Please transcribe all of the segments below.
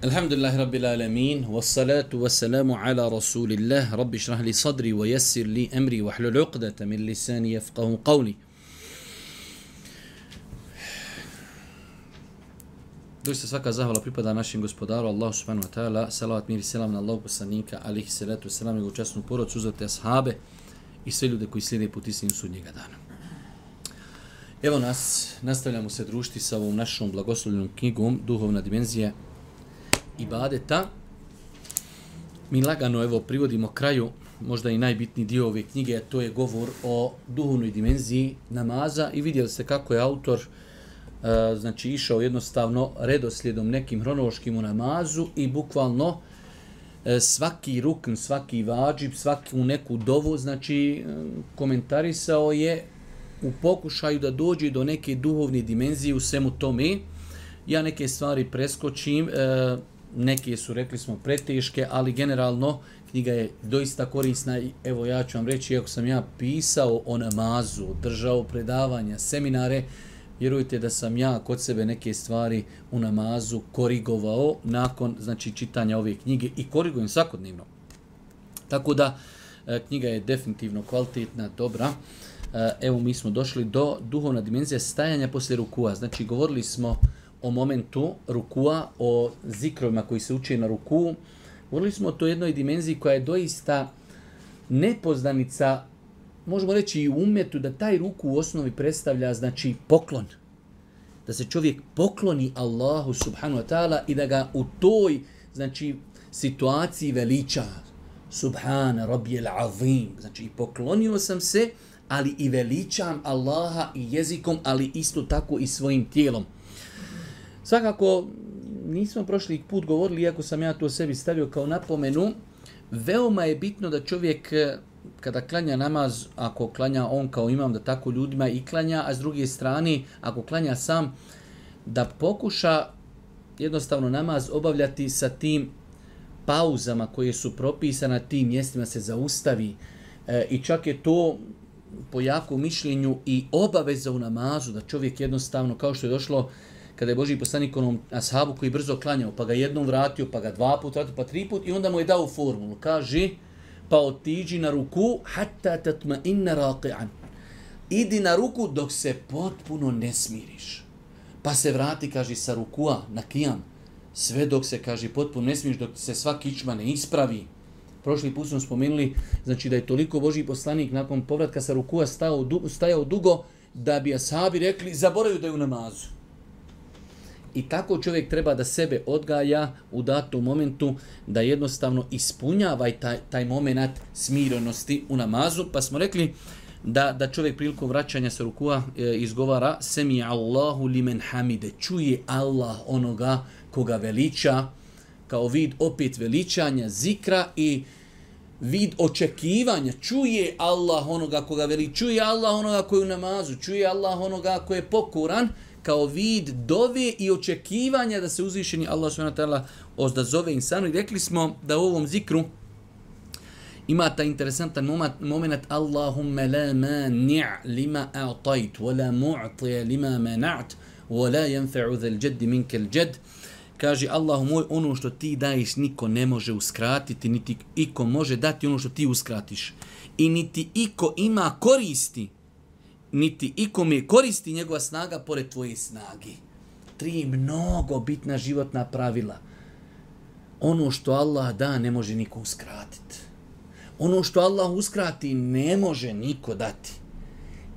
Alhamdulillahi Rabbil Alamin, wassalatu wassalamu ala Rasulillah, Rabbi šrah li sadri wa yassir li amri wa hlul uqdata min lisani yafqahu qawli. Doista svaka zahvala pripada našem gospodaru Allahu subhanahu wa ta'ala, salavat mir i selam na Allahu poslanika alihi salatu wassalam, njegovu časnu porodcu, uzvrte ashabe i sve ljude koji slijede put istinu sudnjega dana. Evo nas, nastavljamo se družiti sa ovom našom blagoslovljenom knjigom Duhovna dimenzija ibadeta. Mi lagano evo privodimo kraju, možda i najbitniji dio ove knjige, a to je govor o duhovnoj dimenziji namaza i vidjeli ste kako je autor znači išao jednostavno redoslijedom nekim hronološkim u namazu i bukvalno svaki rukn, svaki vađib, svaku neku dovu, znači komentarisao je u pokušaju da dođe do neke duhovne dimenzije u svemu tome. Ja neke stvari preskočim, neke su, rekli smo, preteške, ali generalno knjiga je doista korisna i evo ja ću vam reći, ako sam ja pisao o namazu, držao predavanja, seminare, vjerujte da sam ja kod sebe neke stvari u namazu korigovao nakon znači čitanja ove knjige i korigujem svakodnevno. Tako da knjiga je definitivno kvalitetna, dobra. Evo mi smo došli do duhovna dimenzija stajanja poslije rukua. Znači govorili smo o momentu rukua, o zikrovima koji se uče na ruku. Govorili smo o toj jednoj dimenziji koja je doista nepoznanica, možemo reći i u umetu, da taj ruku u osnovi predstavlja znači poklon. Da se čovjek pokloni Allahu subhanahu wa ta'ala i da ga u toj znači situaciji veliča. Subhana rabbijel azim. Znači poklonio sam se, ali i veličam Allaha i jezikom, ali isto tako i svojim tijelom. Svakako, nismo prošli put govorili, iako sam ja to sebi stavio kao napomenu, veoma je bitno da čovjek kada klanja namaz, ako klanja on kao imam, da tako ljudima i klanja, a s druge strane, ako klanja sam, da pokuša jednostavno namaz obavljati sa tim pauzama koje su propisane, tim mjestima se zaustavi. I čak je to po jakom mišljenju i obaveza u namazu, da čovjek jednostavno, kao što je došlo kada je Božji poslanik onom ashabu koji brzo klanjao, pa ga jednom vratio, pa ga dva put vratio, pa tri put i onda mu je dao formulu. Kaže, pa otiđi na ruku, hatta tatma inna raqi'an. Idi na ruku dok se potpuno ne smiriš. Pa se vrati, kaže, sa rukua na kijam. Sve dok se, kaže, potpuno ne smiriš, dok se sva kičma ne ispravi. Prošli put smo spomenuli, znači da je toliko Božji poslanik nakon povratka sa rukua stajao dugo, da bi ashabi rekli, zaboravio da je u namazu. I tako čovjek treba da sebe odgaja u datom momentu, da jednostavno ispunjava taj moment smirenosti u namazu. Pa smo rekli da čovjek prilikom vraćanja sa rukua izgovara semi Allahu limen hamide, čuje Allah onoga koga veliča, kao vid opet veličanja, zikra i vid očekivanja. Čuje Allah onoga koga veliča, čuje Allah onoga koji je u namazu, čuje Allah onoga koji je pokoran, kao vid dove i očekivanja da se uzvišeni Allah subhanahu wa ta'ala ozdazove insanu. I rekli smo da u ovom zikru ima taj interesantan moment Allahumma la mani' lima a'tajt wa la mu'tiya lima mana'at wa la yanfa'u dhal jaddi minka al jadd. Kaže, Allahu moj, ono što ti daješ niko ne može uskratiti, niti iko može dati ono što ti uskratiš. I niti iko ima koristi, niti ikome koristi njegova snaga pored tvoje snage. 3 mnogo bitna životna pravila. Ono što Allah da ne može niko uskratiti. Ono što Allah uskrati ne može niko dati.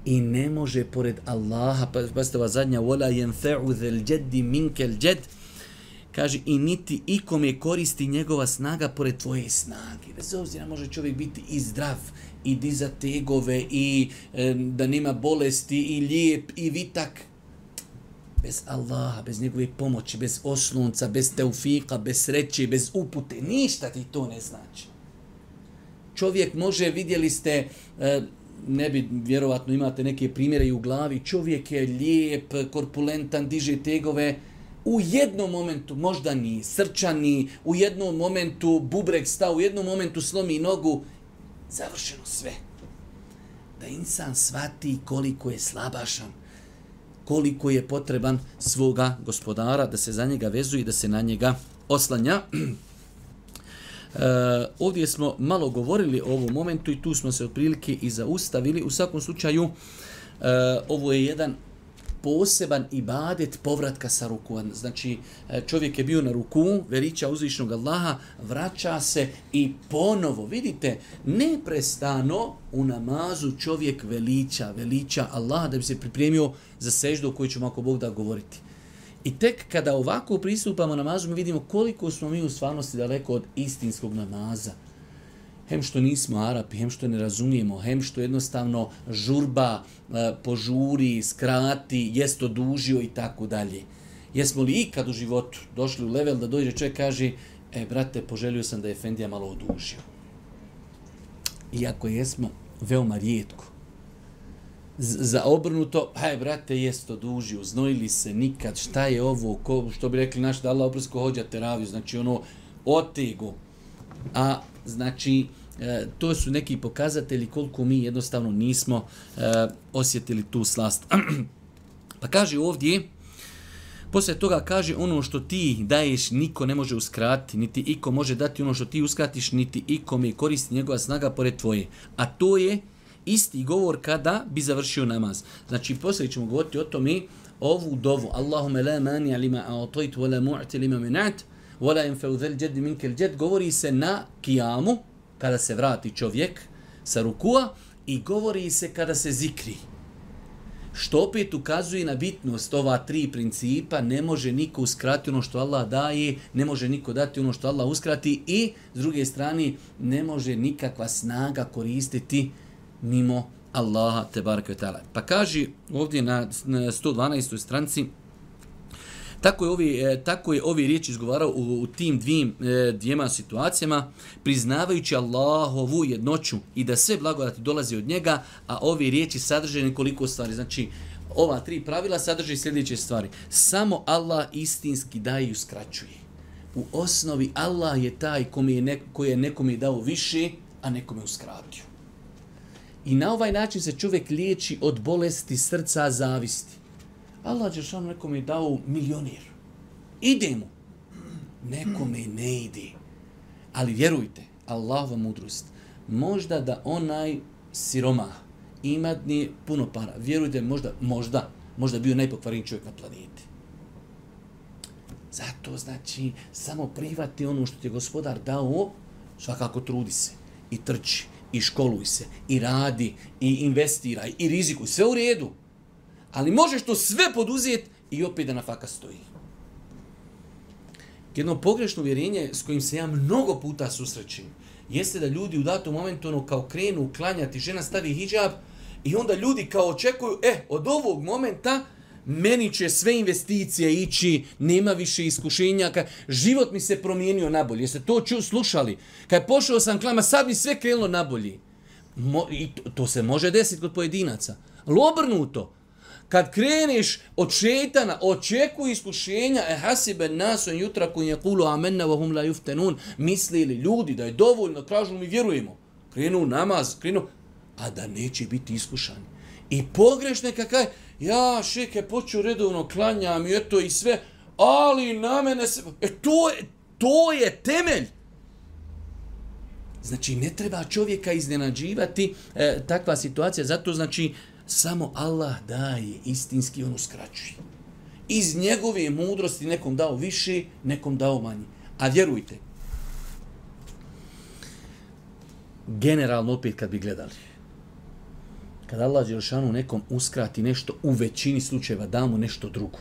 I ne može pored Allaha, pa ste ova zadnja, وَلَا يَنْفَعُ ذَا الْجَدِّ مِنْكَ الْجَدِّ. Kaže, i niti ikome koristi njegova snaga pored tvoje snage. Bez obzira može čovjek biti i zdrav, i dizat tegove, i da nema bolesti, i lijep, i vitak. Bez Allaha, bez njegove pomoći, bez oslunca, bez teufika, bez sreće, bez upute, ništa ti to ne znači. Čovjek može, vidjeli ste, ne bi, vjerovatno imate neke primjere i u glavi, čovjek je lijep, korpulentan, diže tegove, u jednom momentu možda ni srčani, u jednom momentu bubreg stao, u jednom momentu slomi nogu, završeno sve. Da insan shvati koliko je slabašan, koliko je potreban svoga gospodara, da se za njega vezuje i da se na njega oslanja. Ovdje smo malo govorili o ovom momentu i tu smo se otprilike i zaustavili. U svakom slučaju, ovo je jedan poseban ibadet povratka sa ruku. Znači, čovjek je bio na ruku, veliča uzvišnog Allaha, vraća se i ponovo, vidite, neprestano u namazu čovjek veliča Allaha da bi se pripremio za seždu o kojoj ćemo ako Bog da govoriti. I tek kada ovako pristupamo namazu, mi vidimo koliko smo mi u stvarnosti daleko od istinskog namaza. Hem što nismo Arapi, hem što ne razumijemo, hem što jednostavno žurba, požuri, skrati, jest odužio i tako dalje. Jesmo li ikad u životu došli u level da dođe čovjek kaže, brate, poželio sam da je Efendija malo odužio. Iako jesmo, veoma rijetko. Za obrnuto, brate, jest odužio, znojili se nikad, šta je ovo, što bi rekli naši da Allah oprosko hođa teraviju, znači otegu. A znači, to su neki pokazatelji koliko mi jednostavno nismo osjetili tu slast. Pa kaže ovdje, poslije toga kaže ono što ti daješ niko ne može uskratiti, niti iko može dati ono što ti uskratiš, niti ikome koristi njegova snaga pored tvoje. A to je isti govor kada bi završio namaz. Znači, poslije ćemo govoriti o tome, ovu dovu, Allahume la mani lima a'tajt wa la mu'ti lima minat, wa la yanfa'u dhal jaddi minkel jad, govori se na kijamu, kada se vrati čovjek sa rukua, i govori se kada se zikri. Što opet ukazuje na bitnost ova tri principa, ne može niko uskratiti ono što Allah daje, ne može niko dati ono što Allah uskrati i, s druge strane, ne može nikakva snaga koristiti mimo Allaha tebareke ve taala. Pa kaže ovdje na 112. stranici, tako je ovi riječi izgovarao u tim dvijema situacijama, priznavajući Allahovu jednoću i da sve blagodati dolazi od njega, a ovi riječi sadrže nekoliko stvari. Znači, ova tri pravila sadrže sljedeće stvari. Samo Allah istinski daje i uskraćuje. U osnovi Allah je taj koji je nekome dao više, a nekome uskratio. I na ovaj način se čovjek liječi od bolesti srca, zavisti. Allah Đelešanu nekome je dao milionir. Ide mu. Nekome ne ide. Ali vjerujte, Allahova mudrost, možda da onaj siromah ima puno para, vjerujte, možda bio najpokvareniji čovjek na planeti. Zato znači, samo prihvati ono što ti je Gospodar dao, svakako trudi se i trči, i školuj se, i radi, i investiraj, i rizikuj, sve u redu. Ali možeš to sve poduzeti i opet da na faka stoji. Jedno pogrešno uvjerenje s kojim se ja mnogo puta susrećem jeste da ljudi u datom momentu kao krenu klanjati, žena stavi hidžab i onda ljudi kao očekuju, od ovog momenta meni će sve investicije ići, nema više iskušenja, život mi se promijenio nabolje. Jeste to slušali? Kad je pošao sam klama, sad mi sve krenulo nabolje. I to se može desiti kod pojedinaca. Ali obrnuto. Kad kreneš od šejtana, očekuj iskušenja, hasiben nasu en yutraku yaqulu amanna wa hum la yuftanun, mislili ljudi da je dovoljno, kažu mi vjerujemo. Krenu namaz, a da neće biti iskušani. I pogrešne kakaj, ja šeke počeo redovno klanjam i eto i sve, ali na mene se... To je temelj. Znači, ne treba čovjeka iznenađivati takva situacija, zato znači samo Allah daje, istinski on uskraćuje. Iz njegove mudrosti nekom dao više, nekom dao manje. A vjerujte, generalno opet kad bi gledali, kad Allah Đelešanu nekom uskrati nešto, u većini slučajeva da mu nešto drugo.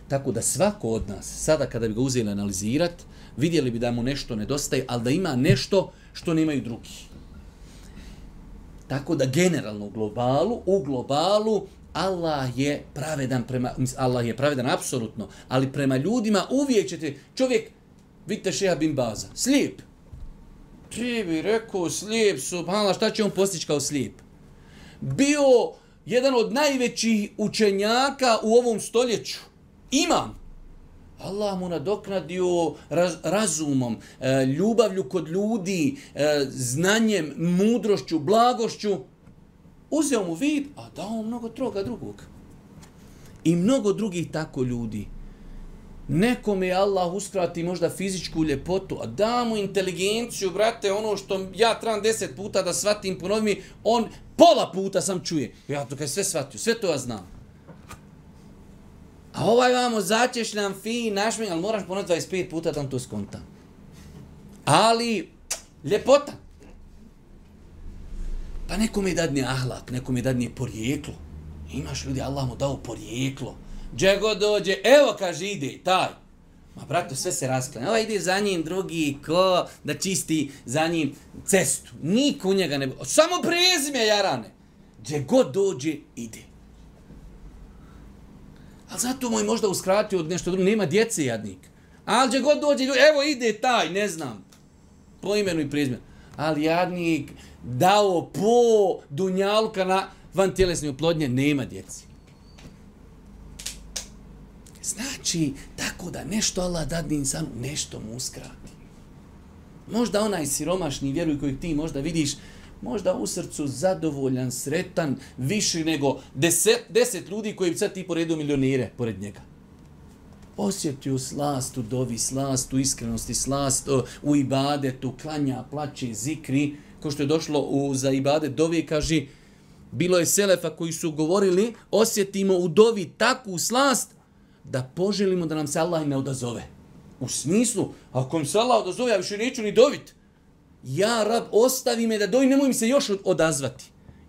Tako da svako od nas, sada kada bi ga uzeli analizirati, vidjeli bi da mu nešto nedostaje, ali da ima nešto što nemaju drugi. Tako da generalno u globalu Allah je pravedan apsolutno, ali prema ljudima uvijek ćete, čovjek, vidite Šeha bin Baza, slijep. Ti bi rekao slijep, subhanallah, šta će on postići kao slijep? Bio jedan od najvećih učenjaka u ovom stoljeću. Imam. Allah mu nadoknadio razumom, ljubavlju kod ljudi, znanjem, mudrošću, blagošću. Uzeo mu vid, a dao mnogo toga drugog. I mnogo drugih tako ljudi. Nekome je Allah uskrati možda fizičku ljepotu, a da mu inteligenciju, brate, ono što ja trebam 10 puta da shvatim, ponovim mi, on pola puta sam čuje. Ja to kaj sve shvatio, sve to ja znam. A ovaj vamo začešljam, fin, našmen, ali moraš ponoviti 25 puta da on to skonta. Ali, ljepota. Pa nekome dadne ahlak, nekome dadne porijeklo. Imaš ljudi, Allah mu dao porijeklo. Gdje god dođe, evo kaže ide, taj. Ma brate, sve se rasklanja. Ova ide za njim, drugi, ko da čisti za njim cestu. Niko u njega ne... Samo prezime jarane. Gdje god dođe, ide. Ali zato mu je možda uskratio od nešto drugo. Nema djece jadnik. Ali gdje god dođe, evo ide taj, ne znam. Po imenu i prezimenu. Ali jadnik dao po dunjalka na vantjelesne oplodnje, nema djeci. Znači, tako da nešto Allah dadne insanu, nešto mu uskrati. Možda onaj siromašni, vjeruj kojeg ti možda vidiš, možda u srcu zadovoljan, sretan, više nego 10 ljudi koji bi sad ti poredu milionire pored njega. Osjetio slast u dovi, slast u iskrenosti, slast u ibadetu, klanja, plaće, zikri, ko što je došlo za ibadet dovi, kaže, bilo je selefa koji su govorili, osjetimo u dovi takvu slast, da poželimo da nam se Allah ne odazove. U smislu, ako mi se Allah odazove, ja više neću ni dovit. Ja, Rab, ostavi me da dovim, nemoj mi se još odazvati.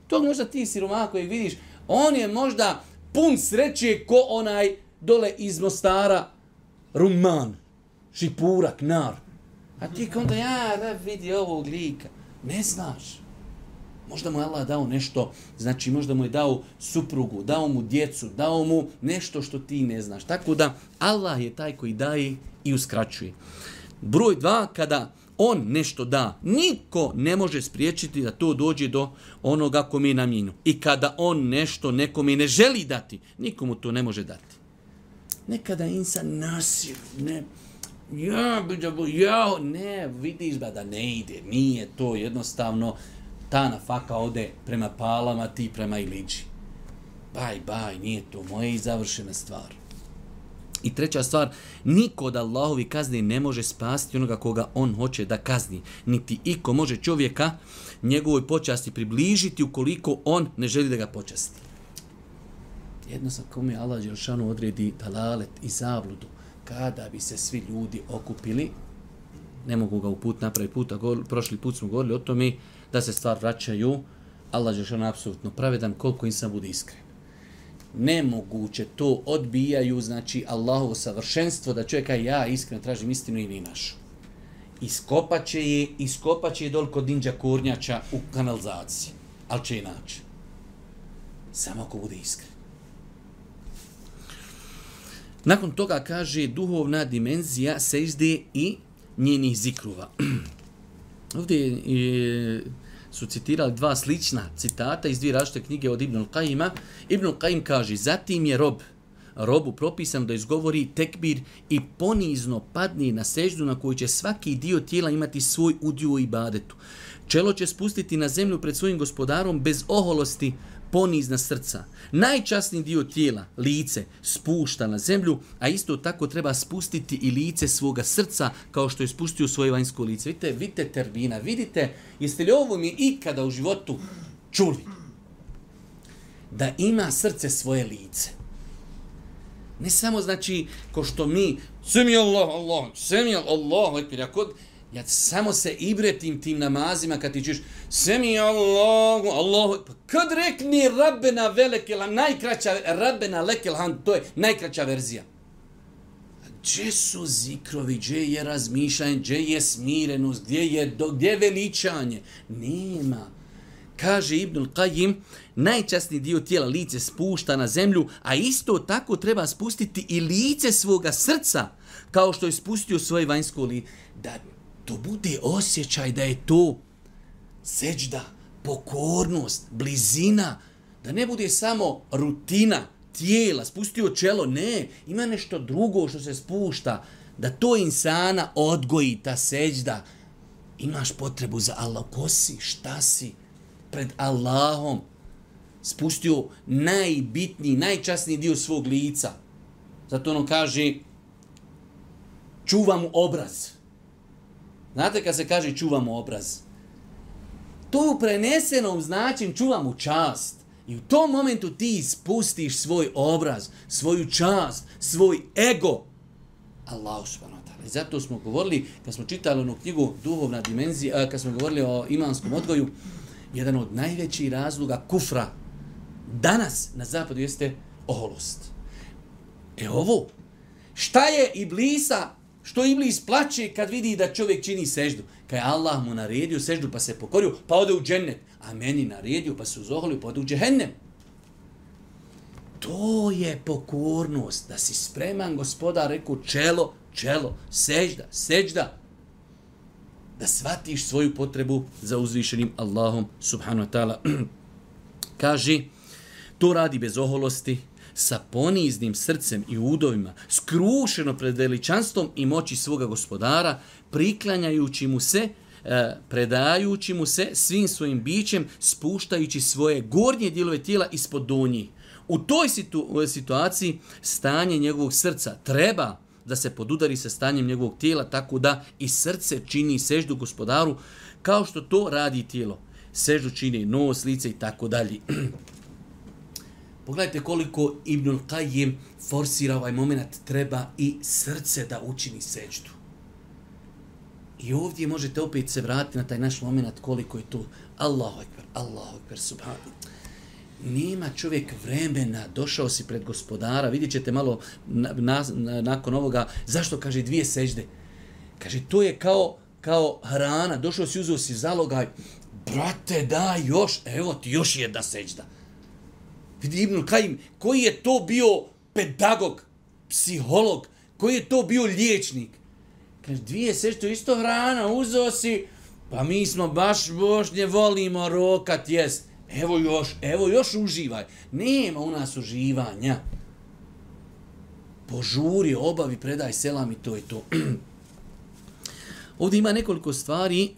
To možda ti siromah kojeg vidiš, on je možda pun sreće ko onaj dole iz Mostara, Ruman, Šipurak, Nar. A ti onda, ja, Rab, vidi ovog lika. Ne znaš. Možda mu je Allah dao nešto, znači možda mu je dao suprugu, dao mu djecu, dao mu nešto što ti ne znaš. Tako da Allah je taj koji daje i uskraćuje. Broj 2, kada on nešto da, niko ne može spriječiti da to dođe do onoga kome je namijenjeno. I kada on nešto nekome ne želi dati, nikomu to ne može dati. Nekada insan nasir, ne, ne, vidiš da ne ide, nije to jednostavno. Ta nafaka ode prema Palama, ti prema Iliđi. Baj, nije to moje i završena stvar. I treća stvar, niko od Allahovi kazni ne može spasiti onoga koga on hoće da kazni. Niti iko može čovjeka njegovoj počasti približiti ukoliko on ne želi da ga počasti. Jednostavno kome Allah Đelšanu odredi dalalet i zabludu, kada bi se svi ljudi okupili, ne mogu ga uput napraviti puta, prošli put smo govorili o tome, da se stvar vraćaju, Allah Đelšanu apsolutno pravedan, koliko insan bude iskren. Nemoguće to odbijaju, znači Allahovo savršenstvo, da čovjek kaže ja iskreno tražim istinu i ni našu. Iskopat će je dol kod Dinđa Kurnjača u kanalizaciji, ali će je naći. Samo ako bude iskren. Nakon toga kaže duhovna dimenzija sežde i njenih zikruva. Ovdje su citirali dva slična citata iz dvije različite knjige od Ibnul Qayyima. Ibnul Qayyim kaže, zatim je robu propisano da izgovori tekbir i ponizno padne na seždu na koju će svaki dio tijela imati svoj udio u ibadetu. Čelo će spustiti na zemlju pred svojim gospodarom bez oholosti, ponizna srca. Najčasniji dio tijela, lice, spušta na zemlju, a isto tako treba spustiti i lice svoga srca kao što je spustio svoje vanjsko lice. Vidite termina, vidite, jeste li ovo mi ikada u životu čuli? Da ima srce svoje lice. Ne samo znači, ko što mi, semi Allah, ja samo se ibretim tim namazima kad ti čuješ semi Allah, pa kad rekni Rabbena velekel, najkraća Rabbena lekel hand, to je najkraća verzija. Gdje su zikrovi, gdje je razmišljanje, gdje je smirenost, gdje je veličanje? Nema. Kaže Ibnul Qayyim, najčasniji dio tijela lice spušta na zemlju, a isto tako treba spustiti i lice svoga srca, kao što je spustio svoje vanjsko lice. Da to bude osjećaj da je to seđda, pokornost, blizina, da ne bude samo rutina tijela, spustio čelo, ne, ima nešto drugo što se spušta, da to insana odgoji, ta seđda. Imaš potrebu za Allah, ko si, šta si, pred Allahom, spustio najbitniji, najčasniji dio svog lica. Zato ono kaže, čuva mu obraz. Znate kad se kaže čuva mu obraz? To u prenesenom značenju čuva mu čast. I u tom momentu ti spustiš svoj obraz, svoju čast, svoj ego. Allahu subhanahu wa ta'ala. I zato smo govorili, kad smo čitali onu knjigu Duhovna dimenzija, kad smo govorili o imanskom odgoju, jedan od najvećih razloga kufra danas na zapadu jeste oholost. Ovo, šta je Iblisa, što Iblis plače kad vidi da čovjek čini seždu? Kad je Allah mu naredio seždu pa se pokorio, pa ode u džennet. A meni naredio pa se uzoholio pa ode u džehennem. To je pokornost, da si spreman, Gospodar rekao čelo, sežda. Da shvatiš svoju potrebu za uzvišenim Allahom subhanahu wa ta'ala. Kaže, to radi bez oholosti, sa poniznim srcem i udovima, skrušeno pred veličanstvom i moći svoga Gospodara, priklanjajući mu se, predajući mu se svim svojim bićem, spuštajući svoje gornje dijelove tijela ispod donjih. U toj situaciji stanje njegovog srca treba da se podudari sa stanjem njegovog tijela, tako da i srce čini seždu Gospodaru, kao što to radi tijelo. Seždu čini nos, lice i tako dalje. Pogledajte koliko Ibnul Qayyim forsira ovaj moment, treba i srce da učini seždu. I ovdje možete opet se vratiti na taj naš moment koliko je to Allahu ekber, subhanallah. Nema čovjek vremena, došao si pred Gospodara, vidjet ćete malo nakon ovoga, zašto kaže 2 sežde? Kaže, to je kao hrana, došao si, uzeo si zalogaj, brate, daj još, evo ti još jedna sežda. Vidi Ibnul Qayyim, koji je to bio pedagog, psiholog, koji je to bio liječnik. Kaže, 2 sežde, to je isto hrana, uzeo si, pa mi smo baš božnje, volimo rokat, jest. Evo još uživaj. Nema u nas uživanja. Požuri, obavi, predaj selam i to je to. Ovdje ima nekoliko stvari.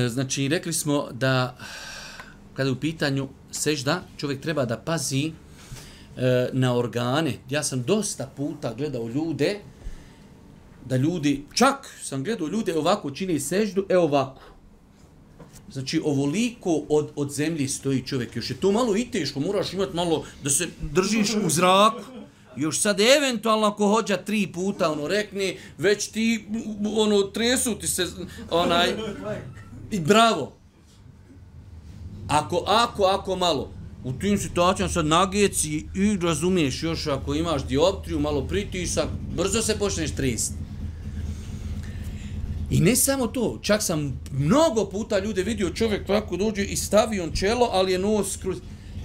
Znači, rekli smo da kada je u pitanju sežda, čovjek treba da pazi na organe. Ja sam dosta puta gledao ljude, da ljudi, čak sam gledao ljude ovako čini seždu, ovako. Znači, ovoliko od zemlje stoji čovjek. Još je to malo i teško, moraš imati malo da se držiš u zraku. Još sad eventualno ako hođa 3 puta, rekne, već ti, tresu ti se, i bravo. Ako malo. U tim situacijama sad nageci i razumiješ još ako imaš dioptriju, malo pritisak, brzo se počneš tresti. I ne samo to, čak sam mnogo puta ljude vidio, čovjek tako dođe i stavi on čelo, ali je nos skroz.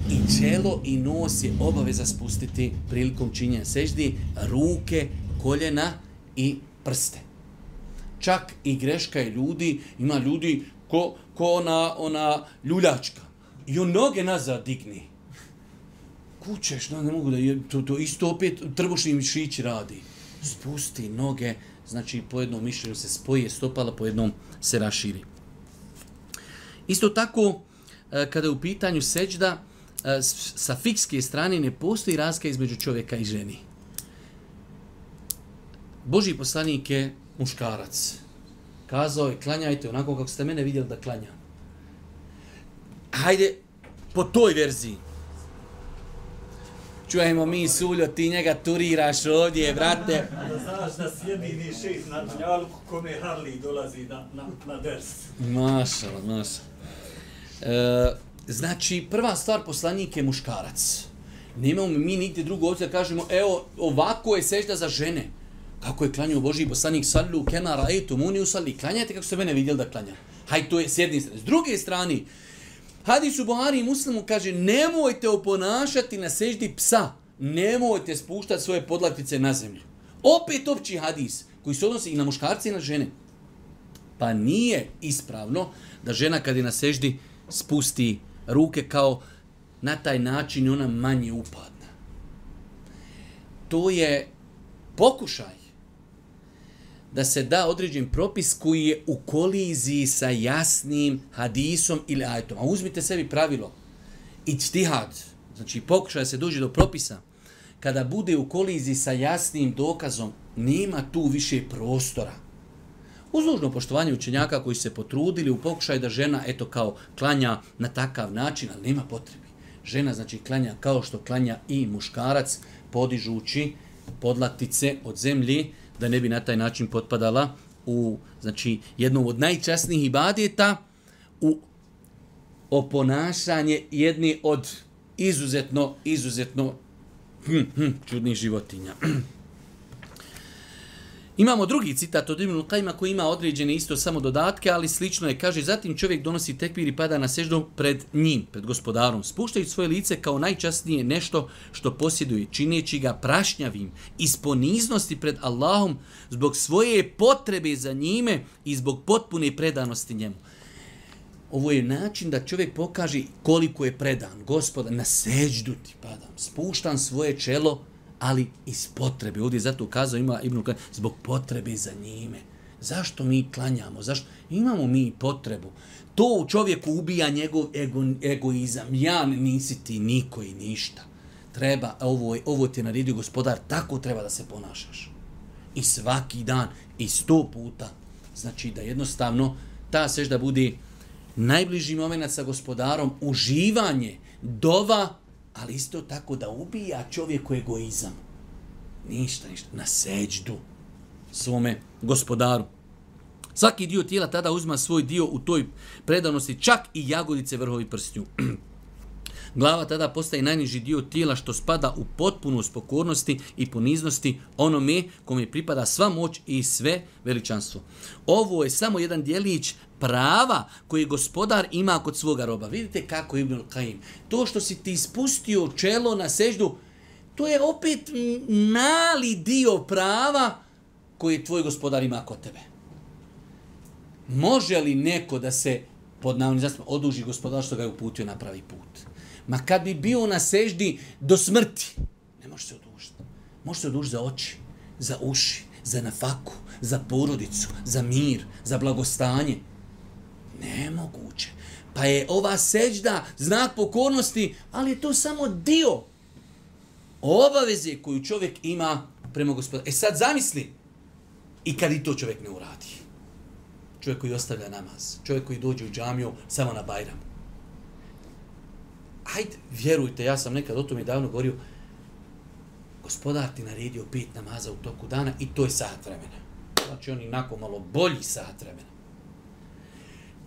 I čelo i nos je obaveza spustiti prilikom činjenja seždi, ruke, koljena i prste. Čak i greška je ljudi, ima ljudi ko ona ljuljačka. I on noge nazad digni. Kućeš, ne mogu da je, to isto opet trbušni mišići radi. Spusti noge, znači po jednom mišljenju se spoje stopala, po jednom se raširi. Isto tako, kada je u pitanju seđda, sa fikske strane ne postoji razlika između čovjeka i ženi. Božji poslanik je muškarac. Kazao je, klanjajte onako kako ste mene vidjeli da klanjam. Hajde, po toj verziji. Čujemo mi, Suljo, ti njega turiraš ovdje, brate. Da znaš da si jedini šejh na Dunjaluku kome Harley dolazi na ders. Mašala. Znači, prva stvar, poslanik je muškarac. Nemamo mi nigdje drugo ovdje da kažemo, evo, ovako je sežda za žene. Kako je klanjao Božji poslanik, sallu kema ra'aytumuni usalli, klanjajte kako ste mene vidjeli da klanjam. Hajde, to je s jedne strane. S druge strane, hadis u Buhari i Muslimu kaže, nemojte oponašati na seždi psa, nemojte spuštati svoje podlaktice na zemlju. Opet opći hadis, koji se odnosi i na muškarce i na žene. Pa nije ispravno da žena kad je na seždi spusti ruke kao na taj način ona manje upadna. To je pokušaj da se da određen propis koji je u koliziji sa jasnim hadisom ili ajetom. A uzmite sebi pravilo. Ijtihad, znači pokušaj da se dođe do propisa kada bude u koliziji sa jasnim dokazom, nema tu više prostora. Uz nužno poštovanje učenjaka koji se potrudili u pokušaju da žena kao klanja na takav način, ali nema potrebi. Žena znači klanja kao što klanja i muškarac, podižući podlaktice od zemlje, da ne bi na taj način potpadala u jednom od najčasnijih ibadeta, u oponašanje jedne od izuzetno čudnih životinja. Imamo drugi citat od Ibnul Kajima koji ima određene isto samo dodatke, ali slično je. Kaže, zatim čovjek donosi tekbir i pada na seždu pred njim, pred gospodarom, spuštajući svoje lice kao najčasnije nešto što posjeduje, čineći ga prašnjavim iz poniznosti pred Allahom zbog svoje potrebe za njime i zbog potpune predanosti njemu. Ovo je način da čovjek pokaže koliko je predan. Gospoda, na seždu ti padam, spuštam svoje čelo, ali iz potrebe. Ovdje zato ukazao ima Ibn Kajim, zbog potrebe za njime. Zašto mi klanjamo? Zašto? Imamo mi potrebu. To u čovjeku ubija njegov egoizam. Ja nisi ti niko i ništa. Treba, ovo ti je naredio gospodar, tako treba da se ponašaš. I svaki dan, i 100 puta. Znači da jednostavno ta sežda bude najbliži moment sa gospodarom, uživanje, dova, ali isto tako da ubija čovjeku egoizam. Ništa, na seđdu svome gospodaru. Svaki dio tijela tada uzma svoj dio u toj predanosti, čak i jagodice vrhovi prstnju. Glava tada postaje najniži dio tijela što spada u potpunost pokornosti i poniznosti onome kome pripada sva moć i sve veličanstvo. Ovo je samo jedan djelić prava koji gospodar ima kod svoga roba. Vidite kako Ibn Kajim. To što si ti spustio čelo na seždu, to je opet mali dio prava koji tvoj gospodar ima kod tebe. Može li neko da se pod navodnim oduži gospodar što ga je uputio na pravi put? Ma kad bi bio na seždi do smrti, ne može se odužiti. Može se odužiti za oči, za uši, za nafaku, za porodicu, za mir, za blagostanje. Nemoguće. Pa je ova sežda znak pokornosti, ali je to samo dio obaveze koju čovjek ima prema gospodaru. Sad zamisli, i kad i to čovjek ne uradi. Čovjek koji ostavlja namaz, čovjek koji dođe u džamiju samo na Bajram. Hajde, vjerujte, ja sam nekad o tome davno govorio, gospodar ti naredio 5 namaza u toku dana i to je sat vremena. Znači on inako malo bolji sat vremena.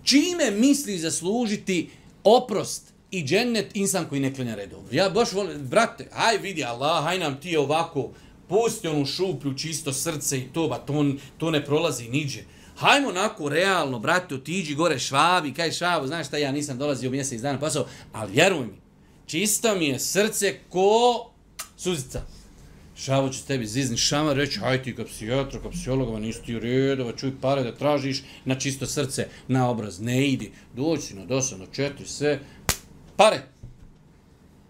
Čime misli zaslužiti oprost i džennet insan koji ne klanja redovno? Ja baš volim, brate, haj vidi Allah, haj nam ti ovako, pusti onu šuplju, čisto srce i to ne prolazi niđe. Hajmo onako realno, brate, otiđi gore Švabi, kaj Švabu, znaš šta, ja nisam dolazio mjesec dana pasao, ali vjeruj mi, čisto mi je srce ko suzica. Šavo će tebi zizni šamar, reći, haj ti ka psijatra, ka psihologova, nisi ti u redova, čuj pare da tražiš na čisto srce, na obraz, ne idi, doći na dosadno 4, sve, pare.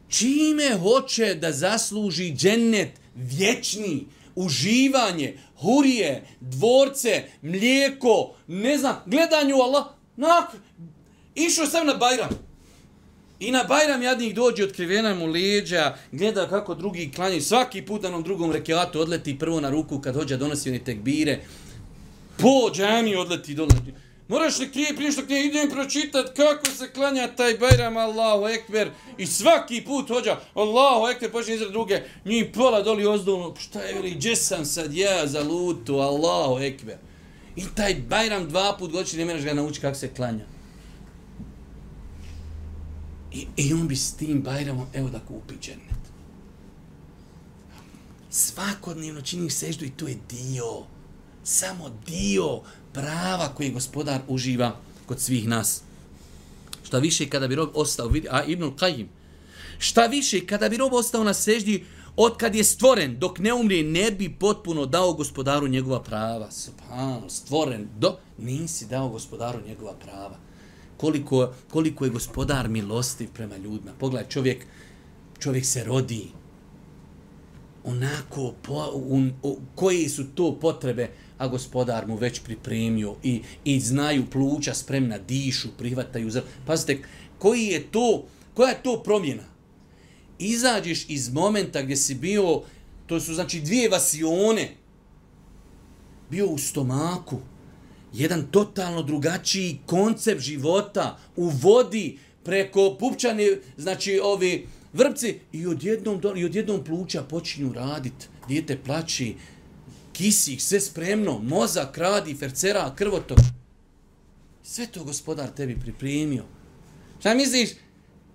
Čime hoće da zasluži džennet vječni, uživanje, hurije, dvorce, mlijeko, ne znam, gledanju Allah, išao sam na Bajram. I na Bajram jadnik dođe, otkrivena mu leđa, gleda kako drugi klanjaju, svaki put na onom drugom rekiatu odleti prvo na ruku kad hođa donosi one tekbire, po džami odleti dole. Moraš li prije što knje idem pročitat kako se klanja taj Bajram, Allahu Ekber, i svaki put hođa, Allahu Ekber, počne izrad druge, njih pola doli ozdolno, šta je veli, gdje sam sad ja za lutu, Allahu Ekber. I taj Bajram 2 put godišnje ne moraš ga naučiti kako se klanja. I on bi s tim Bajramom, evo da kupi džennet. Svakodnevno čini seždu i to je dio, samo dio prava koje gospodar uživa kod svih nas. Šta više kada bi rob ostao, a Ibnul Kajim, šta više kada bi rob ostao na seždi od kad je stvoren, dok ne umrije, ne bi potpuno dao gospodaru njegova prava. Subhanallah, stvoren, nisi dao gospodaru njegova prava. Koliko je gospodar milostiv prema ljudima. Pogledaj, čovjek se rodi onako, koje su to potrebe, a gospodar mu već pripremio i znaju pluća spremna, dišu, prihvataju. Pazite, koja je to promjena? izađeš iz momenta gdje si bio, to su znači 2 vasione, bio u stomaku, jedan totalno drugačiji koncept života, u vodi, preko pupčane, znači ovi vrpci, i odjednom pluća počinju raditi, dijete plaći, kisik, sve spremno, mozak radi, fercera, krvotok. Sve to Gospodar tebi pripremio. Šta misliš?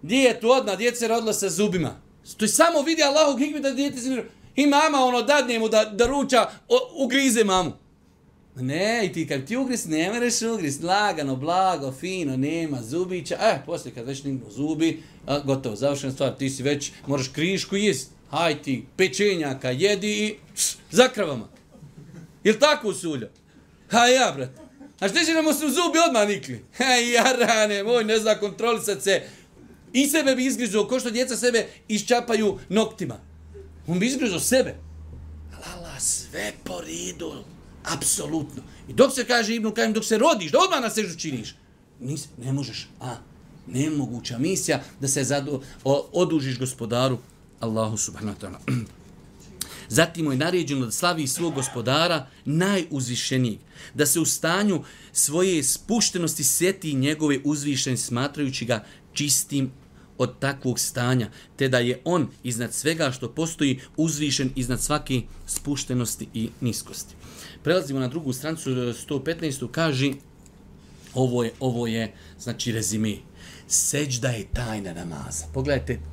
Djetu odmah, djece se rodila sa zubima. To je samo vidi Allahov hikmet da djete se... I mama dadne mu da ruča, ugrize mamu. Ne, i ti kad ti ugriz, ne mereš ugriz, lagano, blago, fino, nema zubića. Poslije kad već nignu zubi, gotovo, završena stvar, ti si već, moraš krišku jest. Haj ti, pečenjaka, jedi i za kravama. Jel tako Sulja? Ja, brat. A što će nam su zubi odmah nikli? Jarane, moj, ne zna kontrolisat se. I sebe bi izgrizao, ko što djeca sebe iščapaju noktima. On bi izgrizao sebe. Allah, sve po redu. Apsolutno. I dok se kaže Ibn Kajim, dok se rodiš, da odmah na seždu činiš. Ne možeš. Nemoguća misija da se odužiš Gospodaru Allahu subhanahu wa ta'ala. Zatim mu je naređeno da slavi svog Gospodara najuzvišenijeg, da se u stanju svoje spuštenosti sjeti njegove uzvišenosti, smatrajući ga čistim od takvog stanja, te da je on iznad svega što postoji uzvišen iznad svake spuštenosti i niskosti. Prelazimo na drugu stranicu 115. kaže, ovo je znači rezime. Seđda je tajna namaza.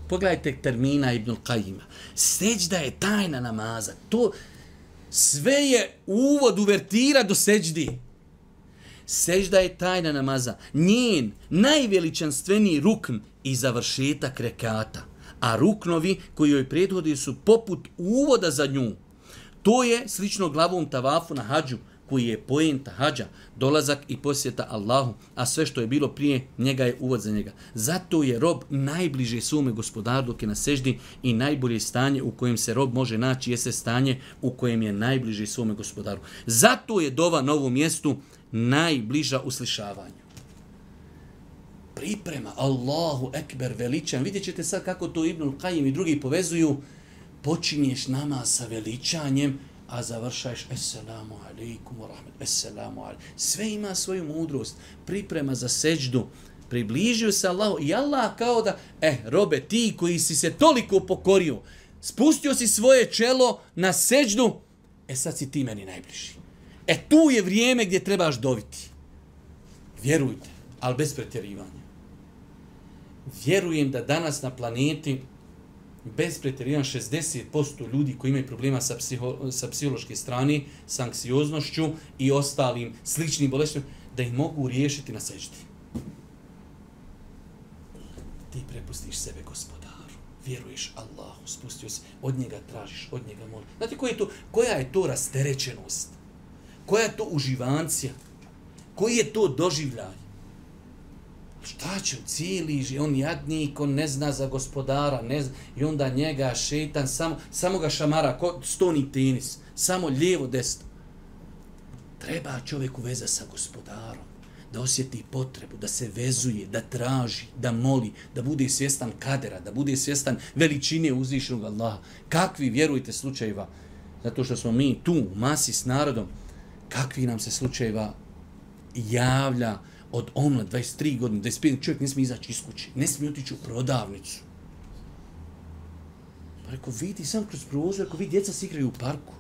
Pogledajte termina Ibn Kajima. Seđda je tajna namaza. To sve je uvod, uvertira do seđdi. Seđda je tajna namaza. Njen najveličanstveniji rukn i završetak rekata. A ruknovi koji joj prethodi su poput uvoda za nju. To je slično glavom tavafu na hađu, koji je poenta hađa, dolazak i posjeta Allahu, a sve što je bilo prije njega je uvod za njega. Zato je rob najbliže svome Gospodaru dok je na seždi i najbolje stanje u kojem se rob može naći jeste stanje u kojem je najbliže svome Gospodaru. Zato je dova na ovom mjestu najbliža uslišavanju. Priprema, Allahu ekber, veličan. Vidjet ćete sad kako to Ibn Kajim i drugi povezuju. Počinješ namaz sa veličanjem, a završaješ Esselamu alaikum wa rahmet, Esselamu alaikum. Sve ima svoju mudrost. Priprema za seđdu. Približio se Allahu i Allah kao da, robe, ti koji si se toliko pokorio, spustio si svoje čelo na seđdu, sad si ti meni najbliži. Tu je vrijeme gdje trebaš doviti. Vjerujte, ali bez pretjerivanja. Vjerujem da danas na planeti bez pretjerivanja 60% ljudi koji imaju problema sa psihološke strane, s anksioznošću i ostalim sličnim bolestima, da ih mogu riješiti na seždi. Ti prepustiš sebe Gospodaru, vjeruješ Allahu, spustio se, od njega tražiš, od njega moliš. Znate koja je to rasterećenost? Koja je to uživancija? Koji je to doživljaj? Šta će cijeli, on jadnik, on ne zna za Gospodara, ne zna, i onda njega šeitan, samo ga šamara, ko stoni tenis, samo lijevo, desno. Treba čovjeku veza sa Gospodarom, da osjeti potrebu, da se vezuje, da traži, da moli, da bude svjestan kadera, da bude svjestan veličine uzvišenog Allaha. Kakvi, vjerujte, slučajeva, zato što smo mi tu u masi s narodom, kakvi nam se slučajeva javlja od omla 23 godine, 25, čovjek ne smije izaći iz kuće, ne smije otići u prodavnicu. Pa reko, vidi sam kroz prozor, ako vidi djeca se igraju u parku.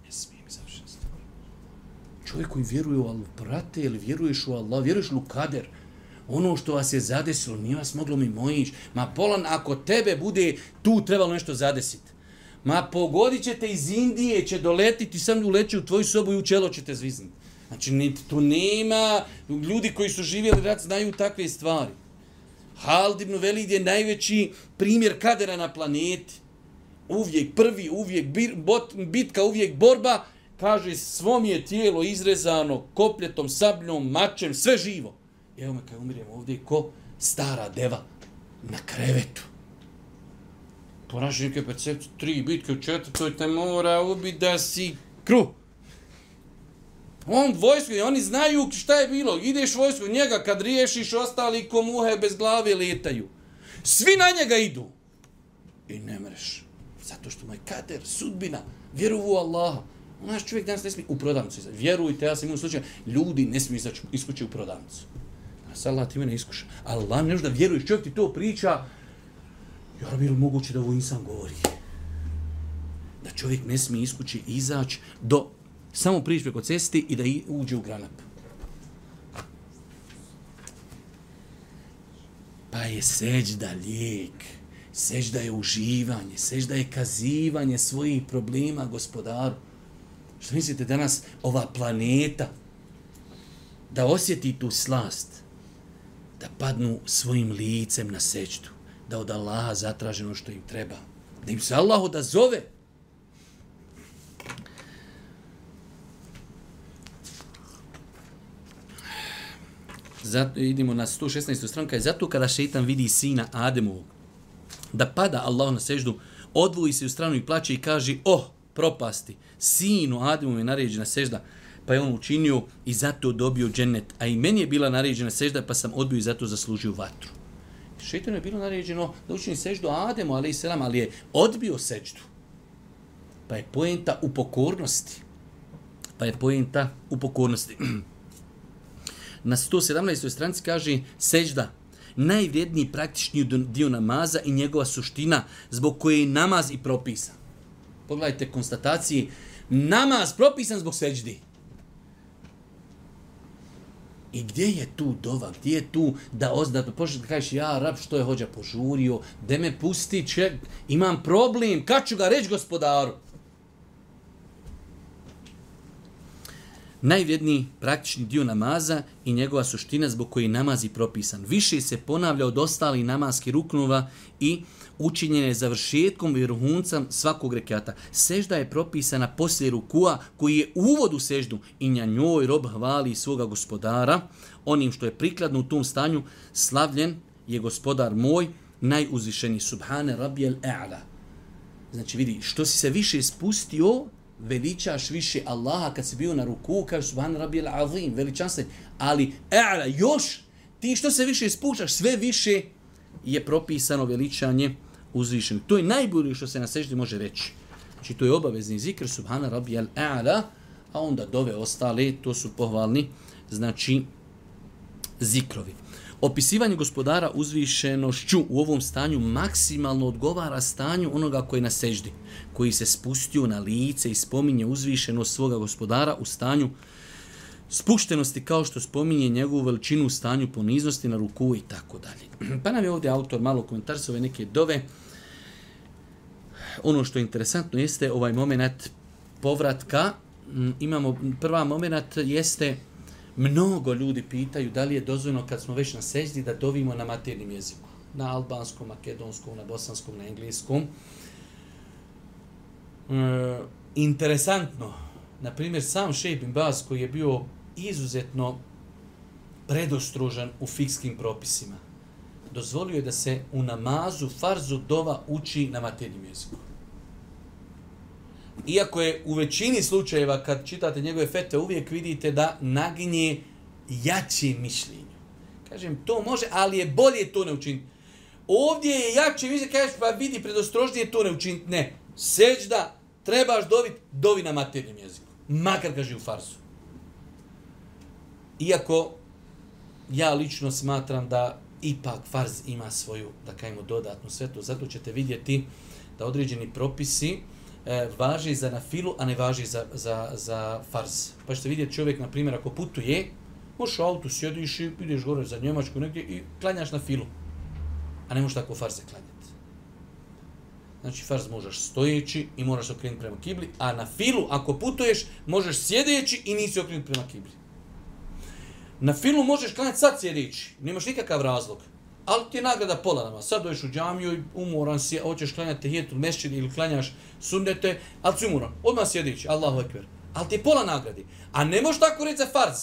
Ne smijem izaći. Čovjek koji vjeruje u Allah, brate, ili vjeruješ u Allah, vjeruješ u kader, ono što vas je zadesilo, nije vas moglo mimo ići. Ma polan, ako tebe bude tu trebalo nešto zadesiti. Ma pogodit ćete iz Indije, će doletiti, sam uleći u tvoju sobu i u čelo ćete zviznuti. Znači, tu nema, ljudi koji su živjeli rat znaju takve stvari. Halid ibn Velid je najveći primjer kadera na planeti. Uvijek prvi, uvijek bitka, uvijek borba. Kaže, svo mi je tijelo izrezano kopljetom, sabljom, mačem, sve živo. Evo me kad umirem ovdje ko stara deva na krevetu. Po našoj neke percepcije, 3 bitke u 4. te mora ubiti da si kruh. On vojsko, oni znaju šta je bilo. Ideš vojsko, njega kad riješiš, ostali ko muhe bez glave letaju. Svi na njega idu. I ne mreš. Zato što mu je kader, sudbina, vjeru u Allaha. Naš čovjek danas ne smije u prodavnicu izaći. Vjerujte, ja sam imao slučaj, ljudi ne smiju izaći iskući u prodavnicu. Allah ti mene iskuša. Allah ne da vjeruješ, čovjek ti to priča. Ja bi li moguće da ovo insan govori? Da čovjek ne smije iskući izaći do samo prići preko cesti i da uđe u granap. Pa je seđda lijek. Seđda je uživanje. Seđda je kazivanje svojih problema gospodaru. Što mislite danas ova planeta da osjeti tu slast, da padnu svojim licem na seđdu, da od Allaha zatraže ono što im treba, da im se Allah odazove. Zato, idemo na 116. stranka. Zato kada šeitan vidi sina Ademovog da pada Allahu na seždu, odvoji se u stranu i plače i kaže: propasti, sinu Ademovu je naređena sežda, pa je on učinio i zato dobio džennet. A i meni je bila naređena sežda, pa sam odbio i zato zaslužio vatru. Šeitanu je bilo naređeno da učini seždu Ademu, ali je odbio seždu. Pa je poenta u pokornosti. Na 117. stranici kaže sežda, najvrijedniji praktični dio namaza i njegova suština zbog koje je namaz i propisan. Pogledajte konstataciji, namaz propisan zbog seždi. I gdje je tu dova, gdje je tu da počneš da kažeš: ja rab, što je hođa požurio, de me pusti, imam problem, kad ću ga reći gospodaru? Najvrijedniji praktični dio namaza i njegova suština zbog koje je namaz i propisan. Više se ponavlja od ostalih namaskih ruknova i učinjene završetkom i vrhuncem svakog rekata. Sežda je propisana poslije rukua koji je uvod u seždu i na njoj rob hvali svoga gospodara. Onim što je prikladno u tom stanju, slavljen je gospodar moj, najuzvišeniji. Subhane rabijel e'ala. Znači vidi, što si se više spustio, veličaš više Allaha. Kad si bio na ruku, kažeš subhane rabijel azim, veličanstven. Ali e'ala, još ti što se više spuštaš, sve više je propisano veličanje uzvišenog. To je najbolje što se na seždi može reći. Znači to je obavezni zikr subhana rabbijal a'la, a onda dove ostale, to su pohvalni, znači zikrovi. Opisivanje gospodara uzvišenošću u ovom stanju maksimalno odgovara stanju onoga koji je na seždi, koji se spustio na lice i spominje uzvišenost svoga gospodara u stanju spuštenosti, kao što spominje njegovu veličinu u stanju poniznosti na ruku i tako dalje. Pa nam je ovdje autor malo komentarisao ove neke dove. Ono što je interesantno jeste ovaj moment povratka. Imamo prva moment jeste, mnogo ljudi pitaju da li je dozvoljeno kad smo već na seždi da dovimo na maternjem jeziku. Na albanskom, makedonskom, na bosanskom, na engleskom. Interesantno. Na primjer, sam Šejh bin Baz koji je bio izuzetno predostrožan u fikskim propisima, dozvolio je da se u namazu farzu dova uči na maternjem jeziku. Iako je u većini slučajeva kad čitate njegove fetve uvijek vidite da naginje jače mišljenje. Kažem, to može, ali je bolje to ne učiniti. Ovdje je jače mišljenje, kažeš, pa vidi, predostrožnije to ne učiniti. Ne, seđda, trebaš dovi na maternjem jeziku. Makar kaže u farsu. Iako ja lično smatram da ipak farz ima svoju, da kajemo, dodatnu svetu. Zato ćete vidjeti da određeni propisi važi za nafilu, a ne važi za farz. Pa ćete vidjeti čovjek, na primjer, ako putuje, možeš u autu sjediš i ideš gore za Njemačku negdje i klanjaš na filu. A ne možeš tako farze klanjati. Znači, farz možeš stojeći i moraš okrenuti prema kibli, a na filu, ako putuješ, možeš sjedeći i nisi okrenuti prema kibli. Na filu možeš klanjati sad sjedeći, nemaš nikakav razlog, ali ti je nagrada pola nama. Sad dođeš u džamiju i umoran si, hoćeš klanjati tehijetul mesdžid ili klanjaš sunnete, ali si umoran, odmah sjedeći, Allahu ekber. Ali ti je pola nagradi. A ne možeš tako reći za farz.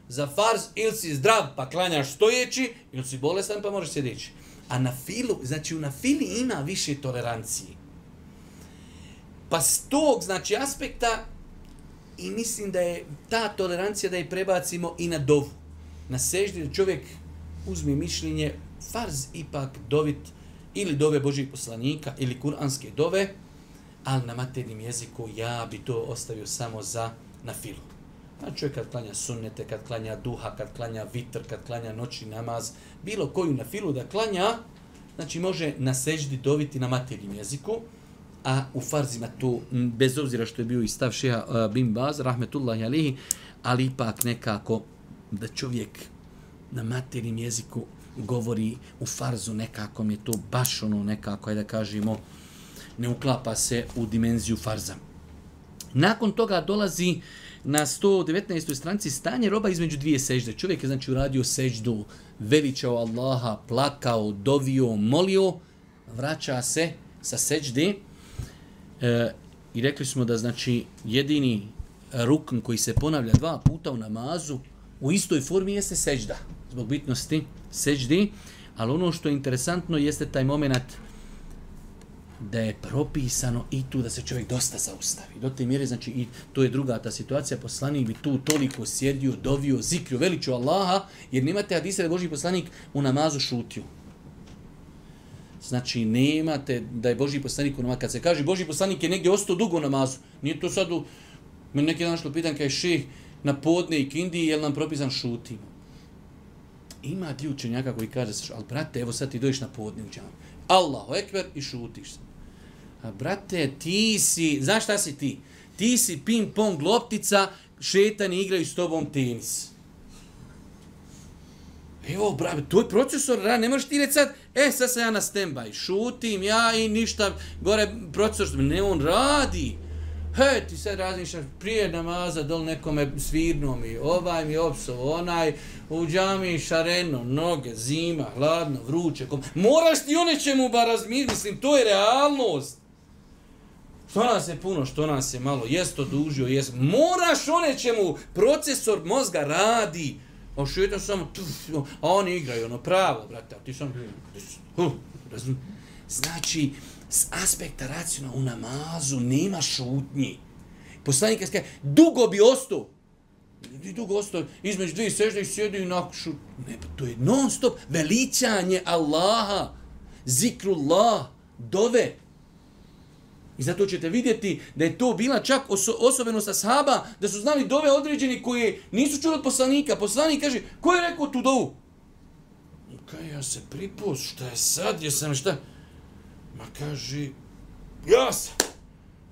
Za farz ili si zdrav pa klanjaš stojeći, ili si bolestan pa možeš sjedeći. A na filu, znači u na fili ima više tolerancije. Pa s tog, znači, aspekta, i mislim da je ta tolerancija da je prebacimo i na dovu. Na seždi da čovjek uzme mišljenje farz ipak dovit ili dove Božih poslanika ili kuranske dove, ali na maternjem jeziku ja bi to ostavio samo za na filu. A čovjek kad klanja sunnete, kad klanja duha, kad klanja vitr, kad klanja noćni namaz, bilo koju na filu da klanja, znači može na seždi doviti na maternjem jeziku, a u farzima to, bez obzira što je bio i stav šeha bin Baz, rahmetullahi alihi, ali ipak nekako da čovjek na maternjem jeziku govori u farzu, nekako mi je to baš ono nekako, da kažemo, ne uklapa se u dimenziju farza. Nakon toga dolazi na 119. stranici stanje roba između dvije sežde. Čovjek je znači uradio seždu, veličao Allaha, plakao, dovio, molio, vraća se sa sežde i rekli smo da znači jedini rukn koji se ponavlja 2 puta u namazu u istoj formi jeste sežda, zbog bitnosti seždi, ali ono što je interesantno jeste taj moment da je propisano i tu da se čovjek dosta zaustavi. Do te mjere, znači, i to je druga ta situacija, poslanik bi tu toliko sjedio, dovio, zikrio, veličio Allaha, jer nemate hadisa da je Božji poslanik u namazu šutio. Znači, nemate da je Božji poslanik u namazu. Kad se kaže Božji poslanik je negdje ostao dugo u namazu, nije to sad meni neki dan što pitan kaj ših na podne i kindiji, je li nam propisan šutimo? Ima dio učenjaka koji kaže, ali brate, evo sad ti dođeš na podne u džamiju. Allahu ekber i šutiš se. A brate, ti si, znaš šta si ti? Ti si ping-pong loptica, šetani igraju s tobom tenis. Evo, brate, to je procesor, ne možeš ti reći sad, sad sam ja na stand-by, šutim ja i ništa, gore procesor, ne, on radi. Ti sad razmišljaš prije namaza, dol nekome svirno mi, ovaj mi opsovo, onaj u džami šareno, noge, zima, hladno, vruće. Moraš ti o nečemu bar razmišljati, mislim, to je realnost. Što nas je puno, što nas je malo, jest to dužio, jest. Moraš o nečemu, procesor mozga radi. A šetam samo, a oni igraju, ono pravo, brate, a ti sam, znači, s aspekta racionalna u namazu nema šutnji. Poslanik kaže, dugo bi ostao. Dugo ostao, između dvije sežde i sjedi i nakon šut. Ne, pa to je non stop veličanje Allaha, zikrullah, dove. I zato ćete vidjeti da je to bila čak osobenost ashaba, da su znali dove određeni koji nisu čuli od poslanika. Poslanik kaže, ko je rekao tu dovu? Kaj, ja se pripust, šta je sad, jesam šta? Ma kaže, ja sam.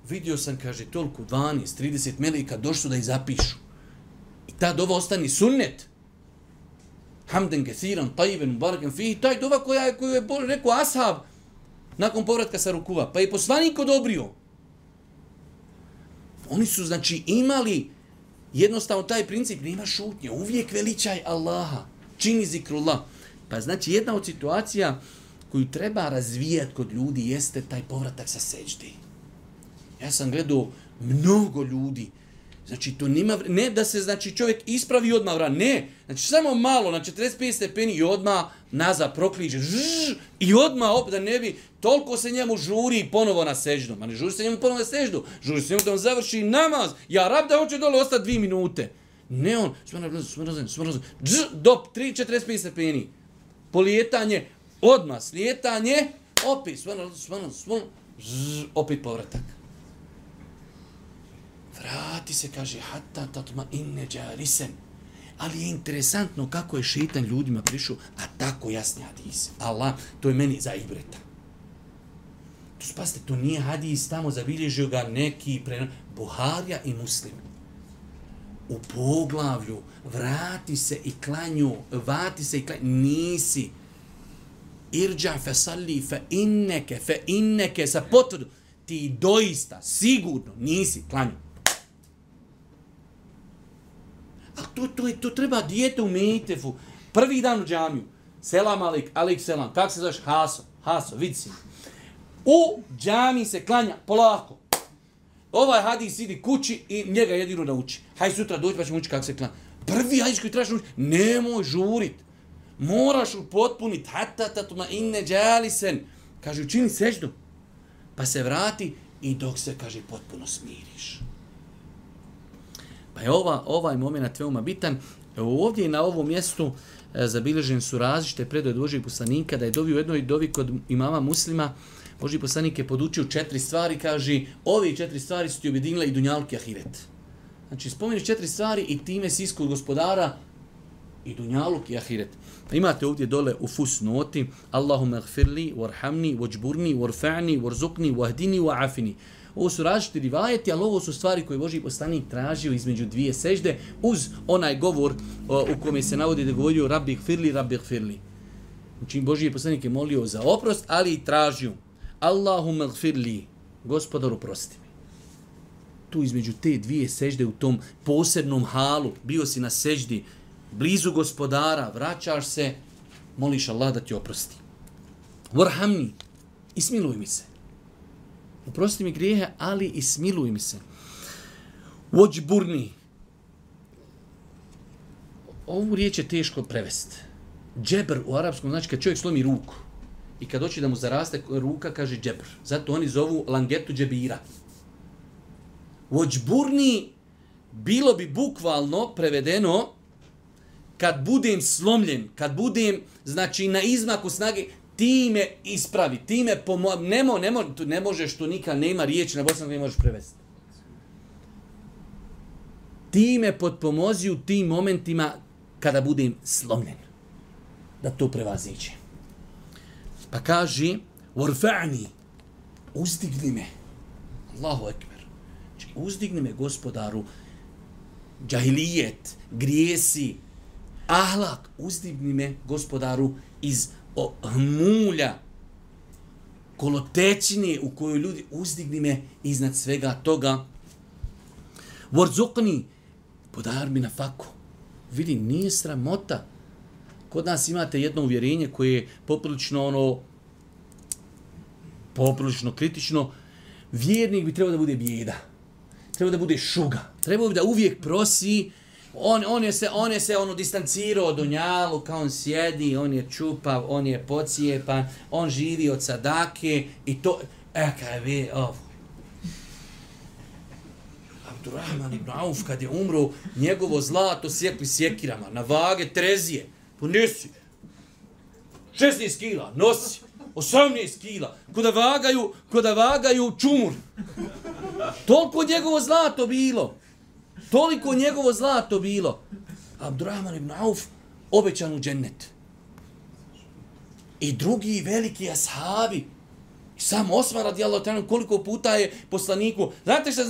Vidio sam, kaže, toliko 12-30 melika došli da ih zapišu. I ta dova ostani sunnet. Hamden kethiran, tajiben, baraken fihi. Taj dova koju je rekao ashab nakon povratka sa rukuva. Pa je poslanik odobrio. Oni su, znači, imali jednostavno taj princip, nema šutnje. Uvijek veličaj Allaha. Čini zikrullah. Pa znači, jedna od situacija koju treba razvijati kod ljudi jeste taj povratak sa seždi. Ja sam gledao mnogo ljudi. Znači, to nima, ne da se znači čovjek ispravi odmah vrat, ne. Znači, samo malo, na 45 stepeni i odmah nazad prokliže. I odmah, da ne bi, toliko se njemu žuri ponovo na seždu. Ma ne žuri se njemu ponovo na seždu. Žuri se njemu da on završi namaz. Ja rab da hoće dole ostati 2 minute. Ne on, smrozim, do 3-45 stepeni. Polijetanje, odmah slijetanje, opet, opet povratak. Vrati se, kaže, hatta tatma inne džarisen. Ali je interesantno kako je šeitan ljudima prišao, a tako jasni hadis. Allah, to je meni za ibreta. To spasite, to nije hadis, tamo zabilježio ga neki Buharija i Muslim. U poglavlju, vrati se i klanju, nisi. Irđa fe salli fe inneke, sa potvrdu. Ti doista, sigurno, nisi klanju. A to treba dijete u Mejtefu. Prvi dan u džamiju. Selam alik selam. Kako se zoveš? Haso, vidi si. U džamiji se klanja polako. Ovaj hadis idi kući i njega jedino nauči. Haj sutra doći pa ćemo učiti kako se klanja. Prvi hadis koji trebaš naučiti, nemoj žurit. Moraš upotpuniti. Hatta tatma inne džalisen. Kaže, učini seždu. Pa se vrati i dok se, kaže, potpuno smiriš. Pa je ovaj moment veoma bitan. Ovdje na ovom mjestu zabilježen su različite predaje od Božijeg poslanika da je dovio u jednoj dovi kod imama Muslima. Božji poslanik je podučio 4 stvari, kaže, ove 4 stvari su ti objedinile i dunjaluk i ahiret. Znači, spomeniš 4 stvari i time si iskod gospodara i dunjaluk i ahiret. Imate ovdje dole u fusnoti Allahumma gfirli, warhamni, wajburni, warfa'ni, warzuqni, wahdini, wa'afini. Ovo su različiti rivajeti, ali ovo su stvari koje Božji poslanik tražio između dvije sežde uz onaj govor u kome se navodi da govorio Rabbi gfirli, Rabbi gfirli. Znači, Božji poslanik je molio za oprost, ali i tražio Allahumma gfirli, gospodaru prosti mi. Tu između te dvije sežde u tom posebnom halu, bio si na seždi, blizu gospodara, vraćaš se, moliš Allah da ti oprosti. Warhamni, i smiluj mi se. Oprosti mi grijehe, ali i smiluj mi se. Wajburni. Ovu riječ je teško prevesti. Džebr u arapskom znači kad čovjek slomi ruku i kad hoće da mu zaraste ruka, kaže džebr. Zato oni zovu langetu džebira. Wajburni bilo bi bukvalno prevedeno kad budem slomljen, kad budem, znači, na izmaku snage, ti me ispravi, ti me ne možeš, tu nikad nema riječi na bosanskom, ne možeš prevesti. Ti me potpomozi u tim momentima kada budem slomljen. Da to prevaziđe. Pa kaže, warfa'ni, uzdigni me. Allahu ekber. Znači, uzdigni me, gospodaru, džahilijet, grijesi, ahlak, uzdigni me, gospodaru, iz hmulja, kolotećine u kojoj ljudi, uzdigni me iznad svega toga. Warzuqni, podar mi na faku. Vidi, nije sramota. Kod nas imate jedno uvjerenje koje je poprilično kritično. Vjernik bi trebao da bude bijeda. Trebao da bude šuga. Trebao bi da uvijek prosi. On je se distancirao od dunjaluka, on sjedi, on je čupav, on je pocijepan, on živi od sadake i to, kaj vi, Abdurrahman ibn Auf kad je umro, njegovo zlato sjekli sjekirama, na vage trezije, ponesi, 16 kila, nosi, 18 kila, koda vagaju čumur. Toliko njegovo zlato bilo. Toliko njegovo zlato bilo. Abdurrahman ibn Auf obećan u džennet. I drugi veliki ashabi. Sam Osman radijallahu ta'ala koliko puta je poslaniku. Znate šta